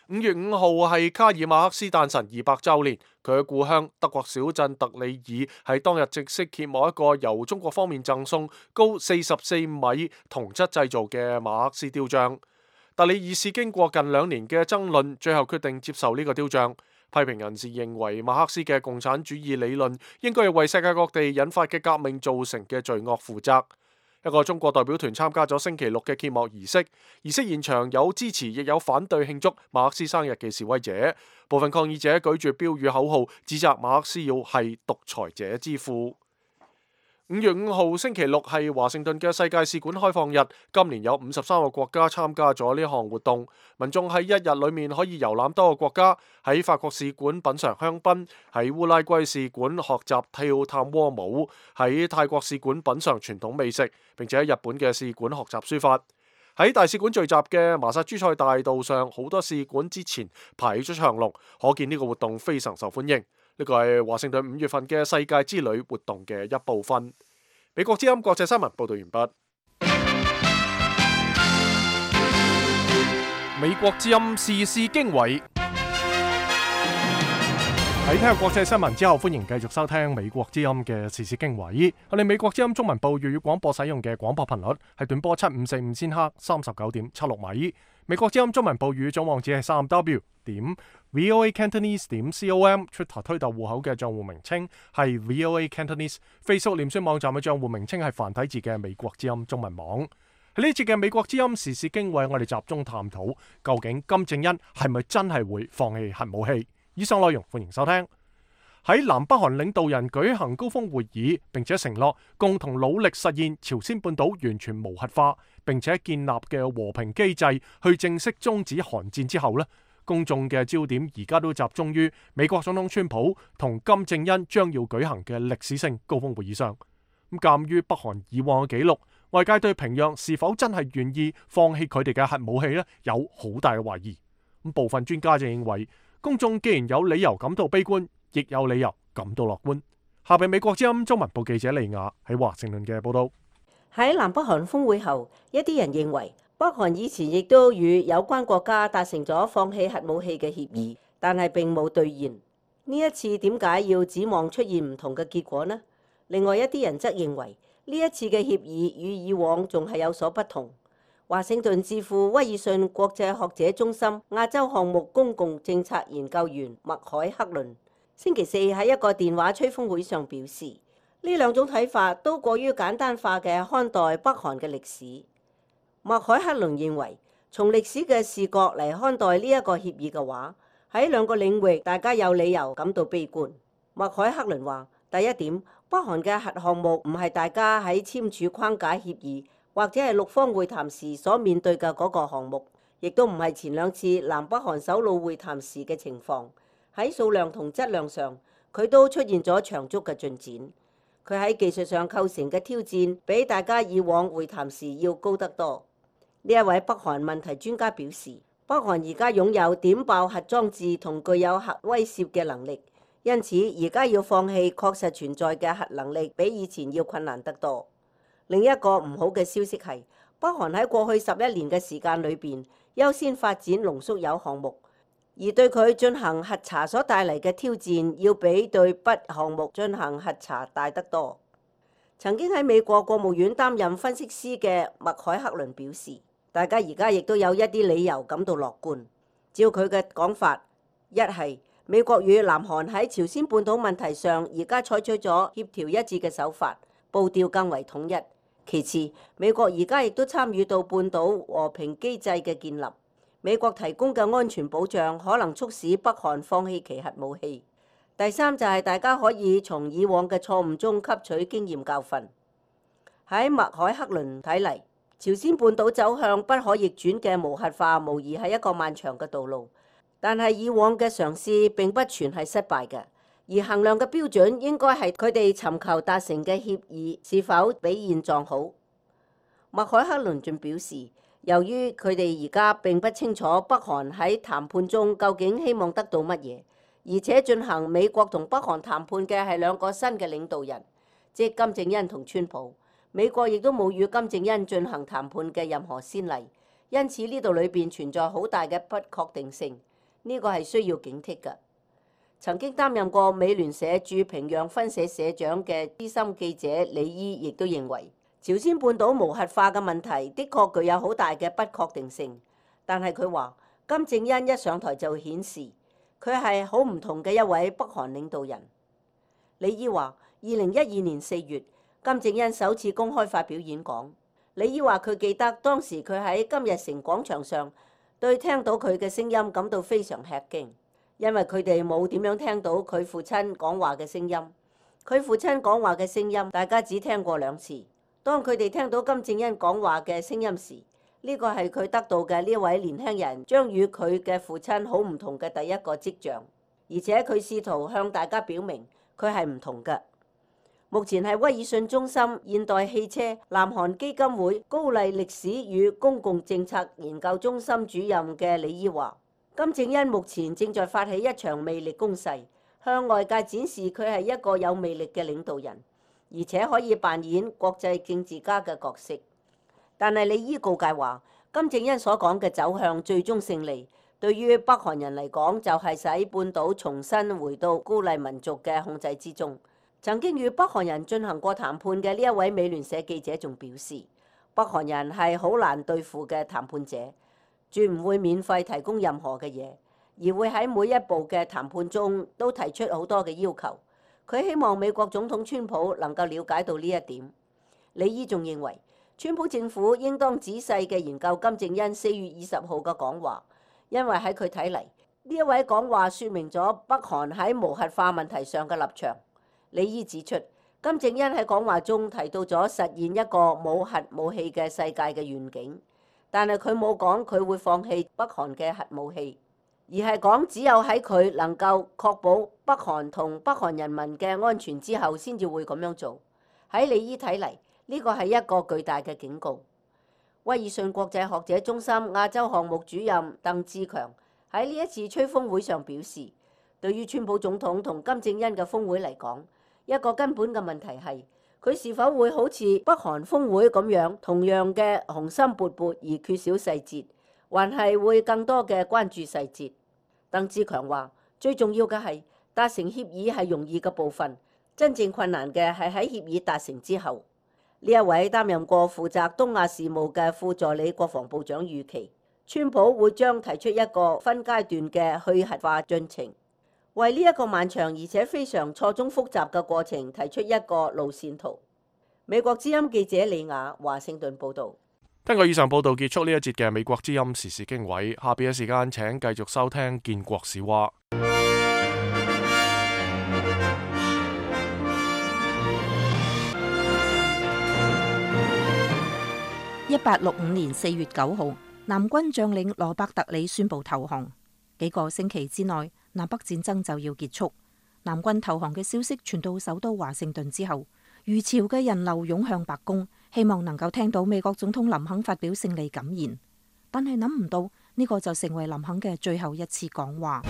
5月5號係卡爾馬克思誕辰200週年，佢嘅故鄉德國小鎮特里爾喺當日正式揭幕一個由中國方面贈送、高44米銅質製造嘅馬克思雕像。特里爾市經過近2年嘅爭論，最後決定接受呢個雕像。批評人士認為馬克思嘅共產主義理論應該係為世界各地引發嘅革命造成嘅罪惡負責。一個中國代表團參加咗星期六嘅揭幕儀式，儀式現場有支持亦有反對慶祝馬克思生日嘅示威者，部分抗議者舉住標語口號，指責馬克思要係獨裁者之父。5月5號星期六係華盛頓嘅世界使館開放日，今年有53個國家參加咗呢項活動，民眾喺一日裏面可以遊覽多個國家，喺法國使館品嚐香檳，喺烏拉圭使館學習跳探戈舞，喺泰國使館品嚐傳統美食，並且喺日本嘅使館學習書法。喺大使館聚集嘅麻薩諸塞大道上，好多使館之前排咗長龍，可見呢個活動非常受歡迎。呢個係華盛頓5月份嘅世界之旅活動嘅一部分。美國之音國際新聞報道完畢。美國之音時事經緯。喺聽國際新聞之後，歡迎繼續收聽美國之音嘅時事經緯。我哋美國之音中文部粵語廣播使用嘅廣播頻率係短波7545千赫39.76米。美國之音中文部語總網址係3w.voacantonese.com。Twitter 推特戶口嘅賬戶名稱係 VOA Cantonese。Facebook 臉書網站嘅賬戶名稱係繁體字嘅美國之音中文網。喺呢節嘅美國之音時事經緯，我哋集中探討究竟金正恩係咪真係會放棄核武器？以上內容歡迎收聽。喺南北韓領導人舉行高峰會議，並且承諾共同努力實現朝鮮半島完全無核化，並且建立嘅和平機制去正式終止韓戰之後呢，公眾嘅焦點而家都集中於美國總統川普同金正恩將要舉行嘅歷史性高峰會議上。咁鑑於北韓以往嘅記錄，外界對平壤是否真係願意放棄佢哋嘅核武器呢，有好大嘅懷疑。咁部分專家就認為，公眾既然有理由感到悲觀，亦有理由感到樂觀。下邊美國之音中文部記者利亞喺華盛頓嘅報道。喺南北韓峰會後，一啲人認為北韓以前亦都與有關國家達成咗放棄核武器嘅協議，但係並冇兌現。呢一次點解要指望出現唔同嘅結果呢？另外一啲人則認為呢一次嘅協議與以往仲係有所不同。華盛頓智庫威爾遜國際學者中心亞洲項目公共政策研究員麥凱克倫星期四喺一個電話吹風會上表示，呢兩種睇法都過於簡單化嘅看待北韓嘅歷史。麥凱克倫認為，從歷史嘅視角嚟看待呢一個協議嘅話，喺兩個領域大家有理由感到悲觀。麥凱克倫話：第一點，北韓嘅核項目唔係大家喺簽署框架協議或者係六方會談時所面對嘅嗰個項目，亦都唔係前兩次南北韓首腦會談時嘅情況。喺數量同質量上，佢都出現咗長足嘅進展。佢喺技術上構成嘅挑戰，比大家以往會談時要高得多。呢一位北韓問題專家表示，北韓而家擁有點爆核裝置同具有核威懾嘅能力，因此而家要放棄確實存在嘅核能力，比以前要困難得多。另一個唔好嘅消息係，北韓喺過去11年嘅時間裏邊，優先發展濃縮鈾項目，而對佢進行核查所帶嚟嘅挑戰，要比對鈈項目進行核查大得多。曾經喺美國國務院擔任分析師嘅麥凱克倫表示，大家而家亦都有一啲理由感到樂觀。照佢嘅講法，一係美國與南韓喺朝鮮半島問題上而家採取咗協調一致嘅手法，步調更為統一。其次，美國而家亦都參與到半島和平機制嘅建立，美國提供嘅安全保障可能促使北韓放棄其核武器。第三就係大家可以從以往嘅錯誤中吸取經驗教訓。喺麥凱克倫睇嚟，朝鮮半島走向不可逆轉嘅無核化，無疑係一個漫長嘅道路。但係以往嘅嘗試並不全係失敗嘅。而衡量嘅標準應該係佢哋尋求達成嘅協議是否比現狀好。麥凱克倫仲表示，由於佢哋而家並不清楚北韓喺談判中究竟希望得到乜嘢，而且進行美國同北韓談判嘅係兩個新嘅領導人，即金正恩同川普。美國亦都冇與金正恩進行談判嘅任何先例，因此呢度裏邊存在好大嘅不確定性，呢個係需要警惕嘅。曾經擔任過美聯社駐平壤分社社長嘅資深記者李伊亦都認為，朝鮮半島無核化嘅問題的確具有好大嘅不確定性。但係佢話，金正恩一上台就顯示佢係好唔同嘅一位北韓領導人。李伊話，2012年4月，金正恩首次公開發表演講。李伊話佢記得當時佢喺金日成廣場上對聽到佢嘅聲音感到非常吃驚，因為佢哋冇點樣聽到佢父親講話嘅聲音。佢父親講話嘅聲音大家只聽過2次。當佢哋聽到金正恩講話嘅聲音時，呢個係佢得到嘅呢位年輕人將與佢嘅父親好唔同嘅第一個跡象，而且佢試圖向大家表明佢係唔同嘅。目前係威爾遜中心現代汽車南韓基金會高麗歷史與公共政策研究中心主任嘅李伊話，金正恩目前正在發起一場魅力攻勢，向外界展示佢係一個有魅力嘅領導人，而且可以扮演國際政治家嘅角色。但係李伊告誡話，金正恩所講嘅走向最終勝利，對於北韓人嚟講就係使半島重新回到高麗民族嘅控制之中。曾經與北韓人進行過談判嘅呢一位美聯社記者仲表示，北韓人係好難對付嘅談判者，絕唔會免費提供任何嘅嘢，而會喺每一步嘅談判中都提出好多嘅要求。佢希望美國總統川普能夠了解到呢一點。李伊仲認為，川普政府應當仔細嘅研究金正恩4月20號嘅講話，因為喺佢睇嚟，呢一位講話説明咗北韓喺無核化問題上嘅立場。李伊指出，金正恩喺講話中提到咗實現一個冇核武器嘅世界嘅願景，但係佢冇講佢會放棄北韓嘅核武器，而係講只有喺佢能夠確保北韓同北韓人民嘅安全之後，先至會咁樣做。喺李伊睇嚟，呢個係一個巨大嘅警告。威爾遜國際學者中心亞洲項目主任鄧志強喺呢一次吹風會上表示，對於川普總統同金正恩嘅峰會嚟講，一個根本嘅問題係佢是否會好似北韓峰會咁樣同樣嘅雄心勃勃而缺少細節，還係會更多嘅關注細節。鄧志強話，最重要嘅係達成協議係容易嘅部分，真正困難嘅係喺協議達成之後。呢一位擔任過負責東亞事務嘅副助理國防部長預期，川普會將提出一個分階段嘅去核化進程，為呢一個漫長而且非常錯綜複雜嘅過程提出一個路線圖。美國之音記者李雅華盛頓報導。根據以上報導結束呢一節嘅美國之音時事經緯，下邊嘅時間請繼續收聽建國史話。1865年4月9號，南軍將領羅伯特里宣布投降。幾個星期之內，南北戰爭就要結束。南軍投降嘅消息傳到首都華盛頓之後，如潮嘅人流湧向白宮，希望能夠聽到美國總統林肯發表勝利感言。但係諗唔到呢個就成為林肯嘅最後一次講話。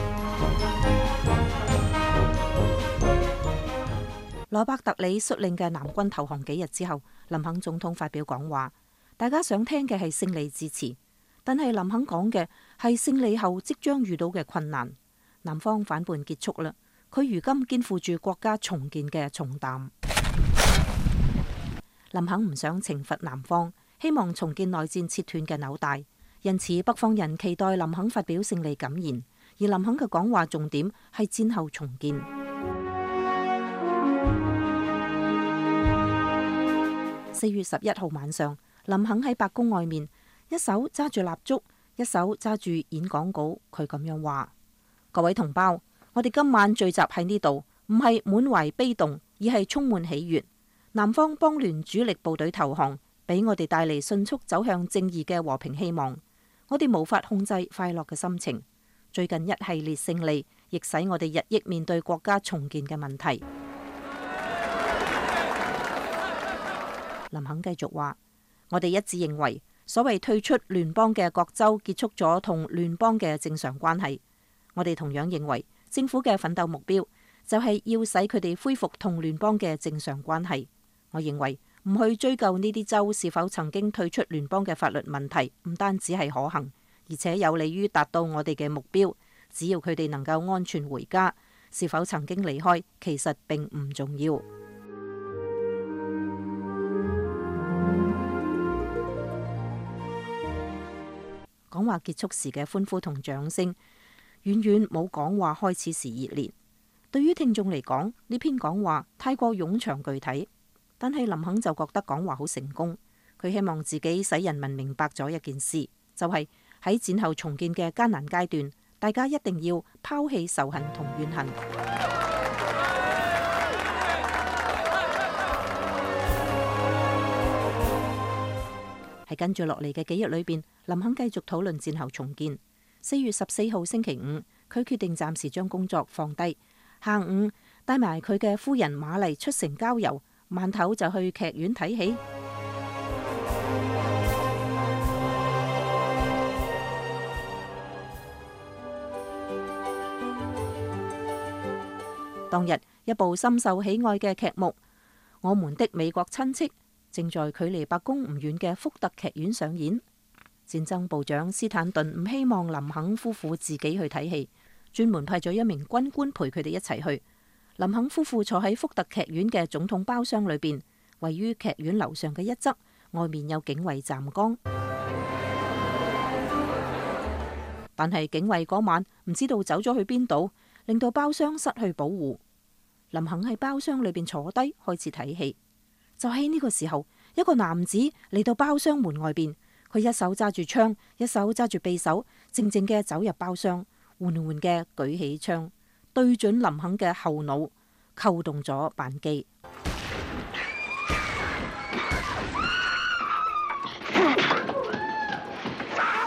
羅伯特里率領嘅南軍投降幾日之後，林肯總統發表講話，大家想聽嘅係勝利致辭，但係林肯講嘅係勝利後即將遇到嘅困難。南方反叛結束啦，佢如今肩負住國家重建嘅重擔。林肯唔想懲罰南方，希望重建內戰切斷嘅紐帶，因此北方人期待林肯發表勝利感言，而林肯嘅講話重點係戰後重建。4月11號晚上，林肯喺白宮外面，一手揸住蠟燭，一手揸住演講稿，佢咁樣話：各位同胞，我哋今晚聚集喺呢度，唔係滿懷悲動，而係充滿喜悅。南方邦聯主力部隊投降，俾我哋帶嚟迅速走向正義嘅和平希望。我哋無法控制快樂嘅心情。最近一系列勝利，亦使我哋日益面對國家重建嘅問題。林肯繼續話：我哋一致認為，所謂退出聯邦嘅各州結束咗同聯邦嘅正常關係。我哋同樣認為，政府嘅奮鬥目標就係要使佢哋恢復同聯邦嘅正常關係。我認為唔去追究呢啲州是否曾經退出聯邦嘅法律問題，唔單止係可行，而且有利於達到我哋嘅目標。只要佢哋能夠安全回家，是否曾經離開其實並唔重要。講話結束時嘅歡呼同掌聲，遠遠冇講話開始時熱烈。對於聽眾嚟講，呢篇講話太過冗長具體，但係林肯就覺得講話好成功。佢希望自己使人民明白咗一件事，就係喺戰後重建嘅艱難階段，大家一定要拋棄仇恨同怨恨。喺跟住落嚟嘅幾日裏邊，林肯繼續討論戰後重建。4月14號星期五，佢決定暫時將工作放低，下午帶埋佢嘅夫人瑪麗出城郊遊，晚頭就去劇院睇戲。當日一部深受喜愛嘅劇目《我們的美國親戚》正在距離白宮唔遠嘅福特劇院上演。戰爭部長斯坦頓唔希望林肯夫婦自己去睇戲，專門派咗一名軍官陪佢哋一齊去。林肯夫婦坐喺福特劇院嘅總統包廂裏邊，位於劇院樓上嘅一側，外面有警衛站崗。但係警衛嗰晚唔知道走咗去邊度，令到包廂失去保護。林肯喺包廂裏邊坐低開始睇戲。就喺呢個時候，一個男子嚟到包廂門外邊，佢一手揸住槍，一手揸住匕首，靜靜嘅走入包廂，緩緩嘅舉起槍，對準林肯嘅後腦，扣動咗扳機。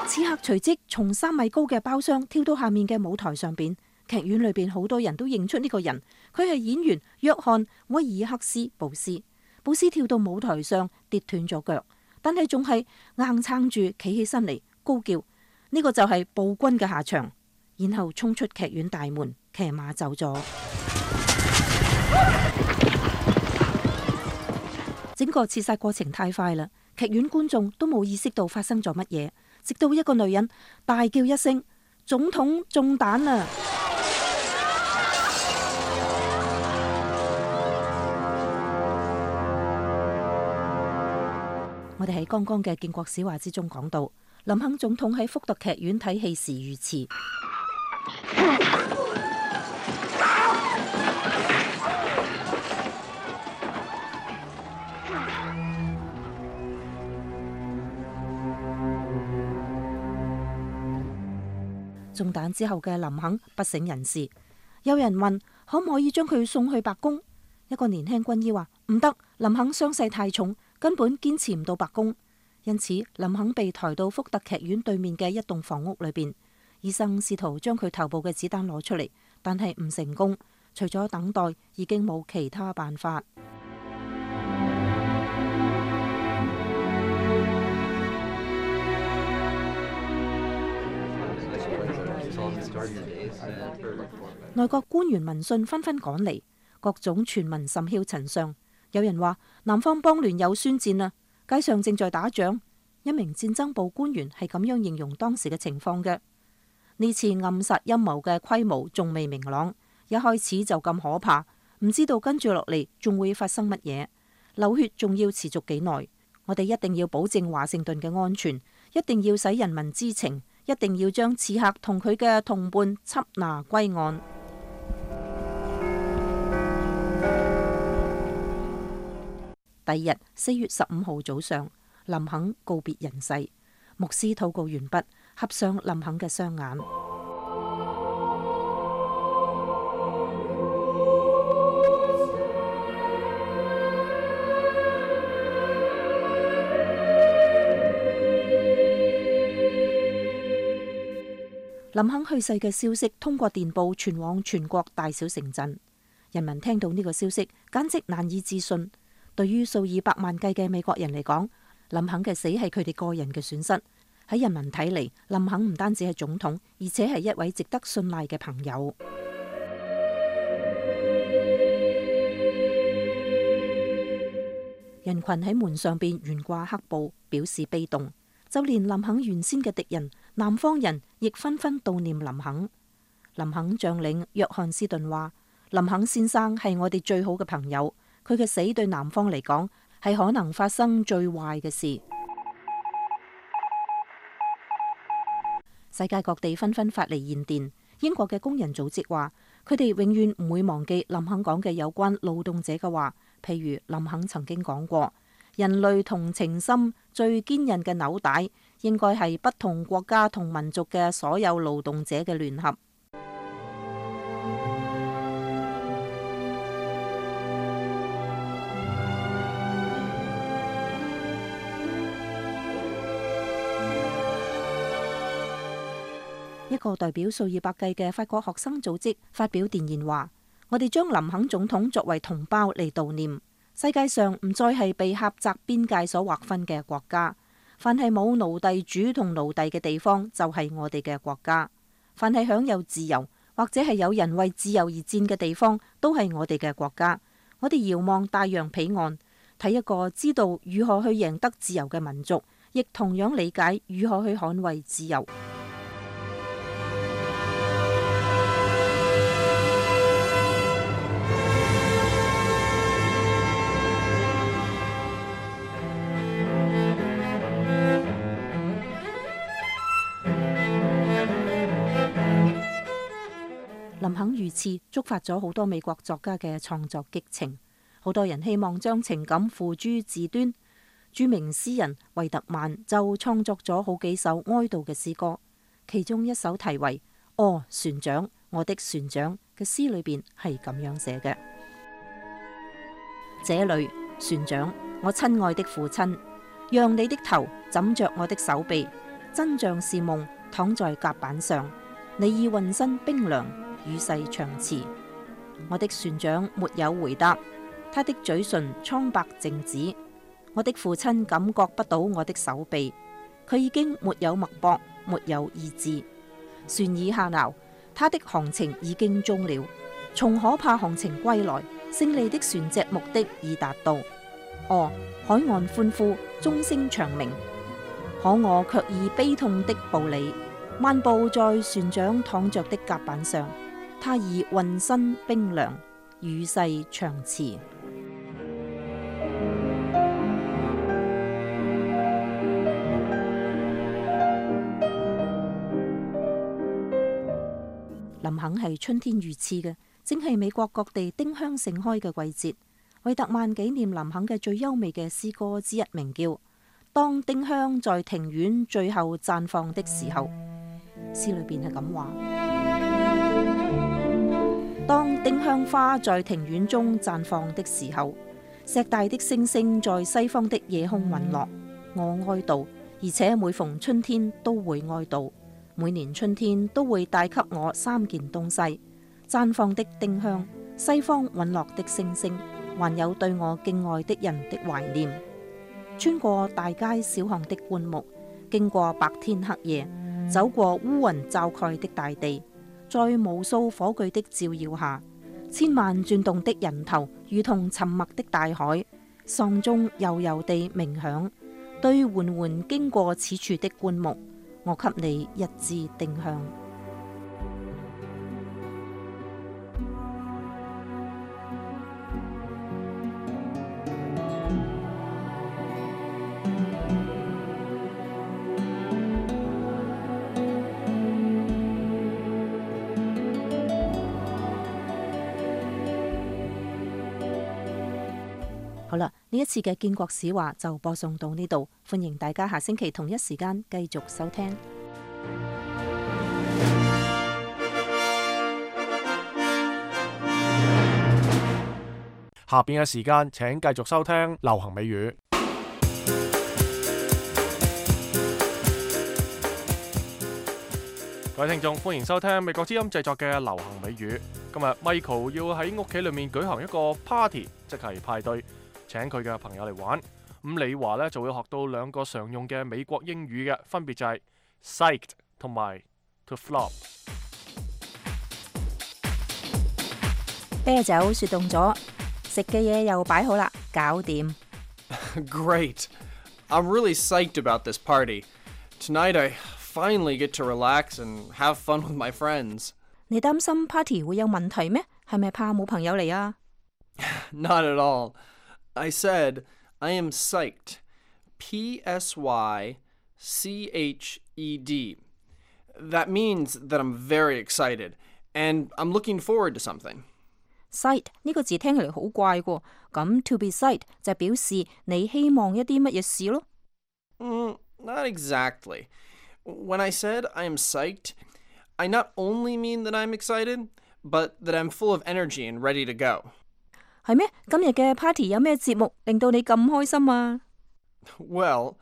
此刻隨即從3米高嘅包廂跳到下面嘅舞台上邊。劇院裏邊好多人都認出呢個人，佢係演員約翰威爾克斯布斯。布斯跳到舞台上跌斷咗腳，但係仲係硬撐住企起身嚟，高叫：呢個就係暴君嘅下場。然後衝出劇院大門，騎馬走咗。整個刺殺過程太快啦，劇院觀眾都冇意識到發生咗乜嘢，直到一個女人大叫一聲：總統中彈啦！我哋喺剛剛嘅建國史話之中講到，林肯總統喺福特劇院睇戲時如此。中彈之後嘅林肯不省人事，有人問可唔可以將佢送去白宮？一個年輕軍醫話唔得，林肯傷勢太重，根本堅持唔到白宮。因此林肯被抬到福特劇院對面嘅一棟房屋裏邊，醫生試圖將佢頭部嘅子彈攞出嚟，但係唔成功。除咗等待，已經冇其他辦法。內閣官員聞訊紛紛趕嚟，各種傳聞甚囂塵上。有人話南方邦聯有宣戰啦，街上正在打仗。一名戰爭部官員係咁樣形容當時嘅情況嘅。呢次暗殺陰謀嘅規模仲未明朗，一開始就咁可怕，唔知道跟住落嚟仲會發生乜嘢，流血仲要持續幾耐。我哋一定要保證華盛頓嘅安全，一定要使人民知情，一定要將刺客同佢嘅同伴緝拿歸案。第二日4月15號早上，林肯告別人世，牧師禱告完畢，合上林肯嘅雙眼。林肯去世嘅消息通過電報傳往全國大小城鎮，人民聽到呢個消息簡直難以置信。對於數以百萬計嘅美國人嚟講，林肯嘅死係佢哋個人嘅損失。喺人民睇嚟，林肯唔單止係總統，而且係一位值得信賴嘅朋友。人群喺門上邊懸掛黑布，表示悲痛。就連林肯原先嘅敵人南方人亦紛紛悼念林肯。林肯將領約翰斯頓話：林肯先生係我哋最好嘅朋友，佢嘅死對南方嚟講係可能發生最壞嘅事。世界各地紛紛發嚟唁電。英國嘅工人組織話，佢哋永遠唔會忘記林肯講嘅有關勞動者嘅話，譬如林肯曾經講過，人類同情心最堅韌嘅紐帶，應該係不同國家同民族嘅所有勞動者嘅聯合。一個代表數以百計嘅法國學生組織發表電言話：我哋將林肯總統作為同胞嚟悼念。世界上唔再係被狹窄邊界所劃分嘅國家，凡係冇奴隸主同奴隸嘅地方就係我哋嘅國家，凡係享有自由或者係有人為自由而戰嘅地方都係我哋嘅國家。我哋遙望大洋彼岸，睇一個知道如何去贏得自由嘅民族，亦同樣理解如何去捍衛自由。林肯遇刺觸發咗好多美國作家嘅創作激情，好多人希望將情感付諸字端。著名詩人惠特曼就創作咗好幾首哀悼嘅詩歌，其中一首題為《哦，船長，我的船長》嘅詩裏邊係咁樣寫嘅：這裏，船長，我親愛的父親，讓你的頭枕着我的手臂，真像是夢，躺在甲板上，你已渾身冰涼，與世長辭。我的船長沒有回答，他的嘴唇蒼白靜止。我的父親感覺不到我的手臂，佢已經沒有脈搏，沒有意志。船已下錨，他的航程已經終了。從可怕航程歸來，勝利的船隻目的已達到。哦，海岸歡呼，鐘聲長鳴，可我卻以悲痛的步履漫步在船長躺着的甲板上，他已渾身冰涼，與世長辭。林肯係春天遇刺嘅，正係美國各地丁香盛開嘅季節。惠特曼紀念林肯嘅最優美嘅詩歌之一，名叫《當丁香在庭院最後綻放的時候》。詩裏邊係咁話：當丁香花在庭院中綻放的時候，碩大的星星在西方的夜空隕落。我哀悼，而且每逢春天都會哀悼。每年春天都會帶給我三件東西：綻放的丁香、西方隕落的星星，還有對我敬愛的人的懷念。穿過大街小巷的灌木，經過白天黑夜，走過烏雲罩蓋的大地，在無數火炬的照耀下，千萬轉動的人頭如同沉默的大海，喪鐘悠悠地鳴響。對緩緩經過此處的灌木，我給你一支丁香。好啦，呢一次嘅建國史話就播送到呢度，歡迎大家下星期同一時間繼續收聽。下邊嘅時間請繼續收聽流行美語。各位聽眾，歡迎收聽美國之音製作嘅流行美語。今日 Michael 要喺屋企裏面舉行一個 party， 即係派對，請佢嘅朋友嚟玩。咁李華呢就會學到兩個常用嘅美國英語嘅，分別就係 psyched 同埋 to flop。啤酒雪凍咗，食嘅嘢又擺好啦，搞掂。Great. I'm really psyched about this party. Tonight I finally get to relax and have fun with my friends. 你擔心 party 會有問題咩？係咪怕冇朋友嚟啊？ Not at all. I said I am psyched. P-S-Y-C-H-E-D. That means that I'm very excited and I'm looking forward to something. Psyched 呢個字聽起嚟好怪喎，咁 to be psyched 就表示你希望一啲乜嘢事咯。Not exactly. When I said I am psyched, I not only mean that I'm excited, but that I'm full of energy and ready to go. 係咩？今日嘅 party 有咩節目令到你咁開心啊？ Well,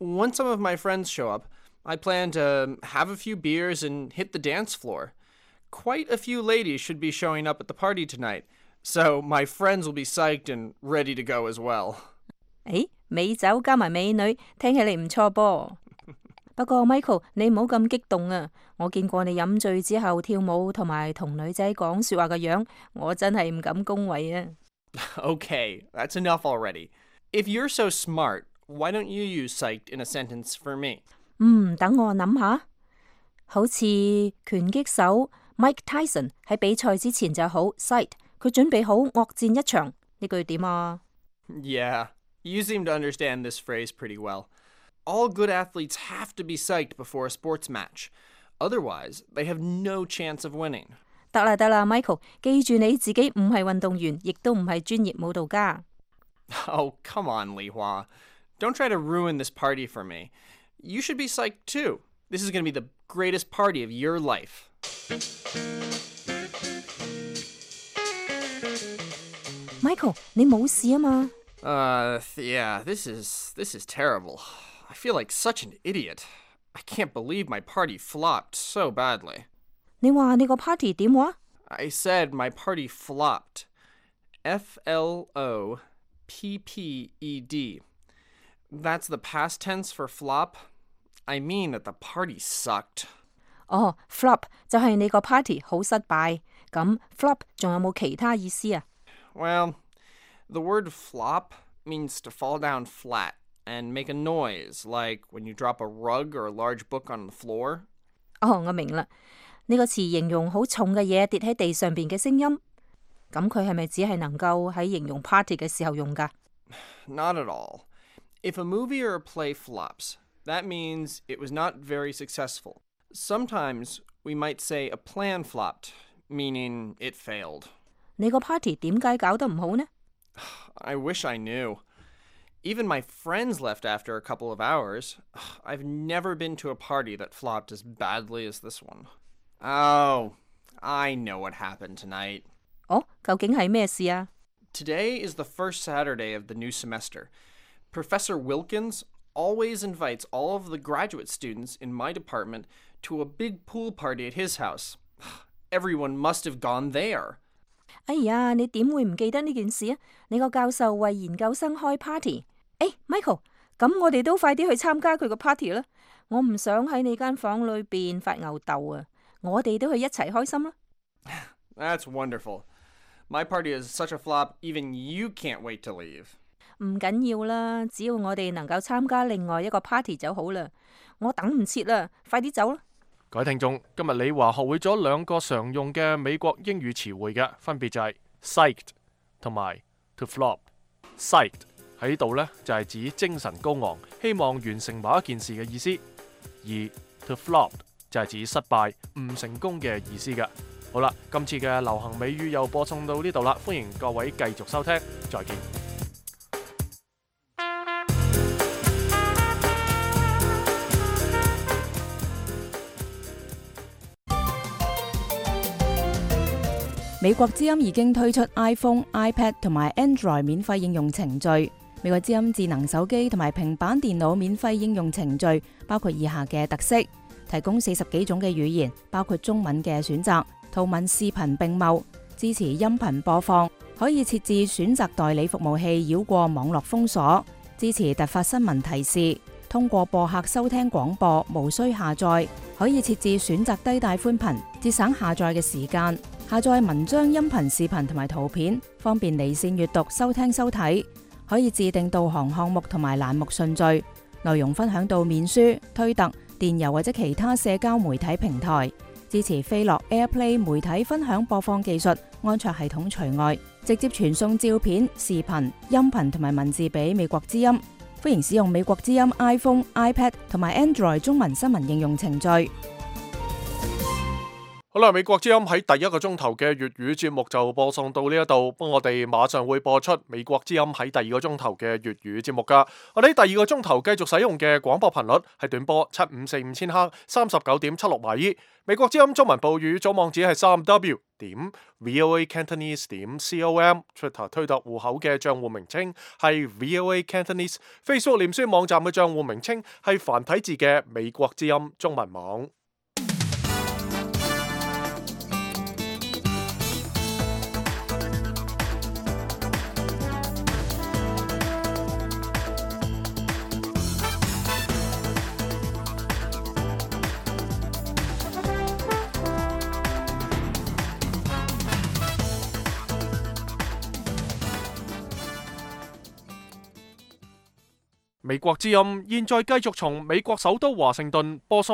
once some of my friends show up, I plan to have a few beers and hit the dance floor. Quite a few ladies should be showing up at the party tonight, so my friends will be psyched and ready to go as well. 誒，美酒加埋美女，聽起嚟唔錯噃。不過 Michael， 你唔好咁激動啊！我見過你飲醉之後跳舞同埋同女仔講說話嘅樣，我真係唔敢恭維啊。Okay, that's enough already. If you're so smart, why don't you use psyched in a sentence for me? 等我諗下。好似拳擊手 Mike Tyson 喺比賽之前就好 psyched， 佢準備好惡戰一場。呢句點啊？ Yeah, you seem to understand this phrase pretty well. All good athletes have to be psyched before a sports match. Otherwise, they have no chance of winning. 得啦 ，Michael， 記住你自己唔係運動員，亦都唔係專業舞蹈家。Oh, come on, Li Hua. Don't try to ruin this party for me. You should be psyched too. This is going to be the greatest party of your life. Michael， 你冇事啊嘛？ Yeah, this is terrible. I feel like such an idiot. I can't believe my party flopped so badly. 你話你個 party 點話？ I said my party flopped. Flopped. That's the past tense for flop. I mean that the party sucked. 哦 ，flop 就係你個 party 好失敗。咁 flop 仲有冇其他意思啊？ Well, the word flop means to fall down flat and make a noise, like when you drop a rug or a large book on the floor. 哦，我明啦。呢個詞形容好重嘅嘢跌喺地上邊嘅聲音。咁佢係咪只係能夠喺形容 party 嘅時候用㗎？ Not at all. If a movie or a play flops, that means it was not very successful. Sometimes we might say a plan flopped, meaning it failed. 你個 party 點解搞得唔好呢？ I wish I knew. Even my friends left after a couple of hours. I've never been to a party that flopped as badly as this one. Oh, I know what happened tonight. 哦，究竟係咩事啊？ Today is the first Saturday of the new semester. Professor Wilkins always invites all of the graduate students in my department to a big pool party at his house. Everyone must have gone there. 哎呀，你點會唔記得呢件事啊？你個教授為研究生開 party。Michael， 咁我哋都快啲去參加佢個 party 啦！我唔想喺你間房裏邊發吽竇啊！我哋都去一齊開心啦！ That's wonderful. My party is such a flop, even you can't wait to leave. 唔緊要啦，只要我哋能夠參加另外一個 party 就好啦。我等唔切啦，快啲走啦！各位聽眾，今日李華學會咗兩個常用嘅美國英語詞彙嘅，分別就係 psyched 同埋 to flop。psyched 喺度呢，就係指精神高昂，希望完成某一件事嘅意思；而 to flop 就係指失敗、唔成功嘅意思嘅。好啦，今次嘅流行美語又播送到呢度啦，歡迎各位繼續收聽，再見。美國之音已經推出 iPhone、iPad 同埋 Android 免費應用程序。美國之音智能手機同埋平板電腦免費應用程序包括以下嘅特色：提供40幾種嘅語言，包括中文嘅選擇，圖文視頻並茂，支持音頻播放，可以設置選擇代理服務器繞過網絡封鎖，支持突發新聞提示，通過播客收聽廣播，無需下載，可以設置選擇低帶寬頻，節省下載嘅時間。下載文章、音頻、視頻同埋圖片，方便離線閱讀、收聽收睇。可以自定導航項目同埋欄目順序，內容分享到面書、推特、電郵或者其他社交媒體平台。支持飛樂 AirPlay 媒體分享播放技術，安卓系統除外。直接傳送照片、視頻、音頻同埋文字俾美國之音。歡迎使用美國之音 iPhone、iPad 同埋 Android 中文新聞應用程序。好啦，美國之音喺第一個鐘頭嘅粵語節目就播送到呢一度，我哋馬上會播出美國之音喺第二個鐘頭嘅粵語節目噶。我哋喺第二個鐘頭繼續使用嘅廣播頻率係短波7545千赫39.76米。美國之音中文部語組網址係3w.voacantonese.com，Twitter 推特戶口嘅賬戶名稱係 VOA Cantonese，Facebook 臉書網站嘅賬戶名稱係繁體字嘅美國之音中文網。美國之音現在繼續從美國首都華盛頓播送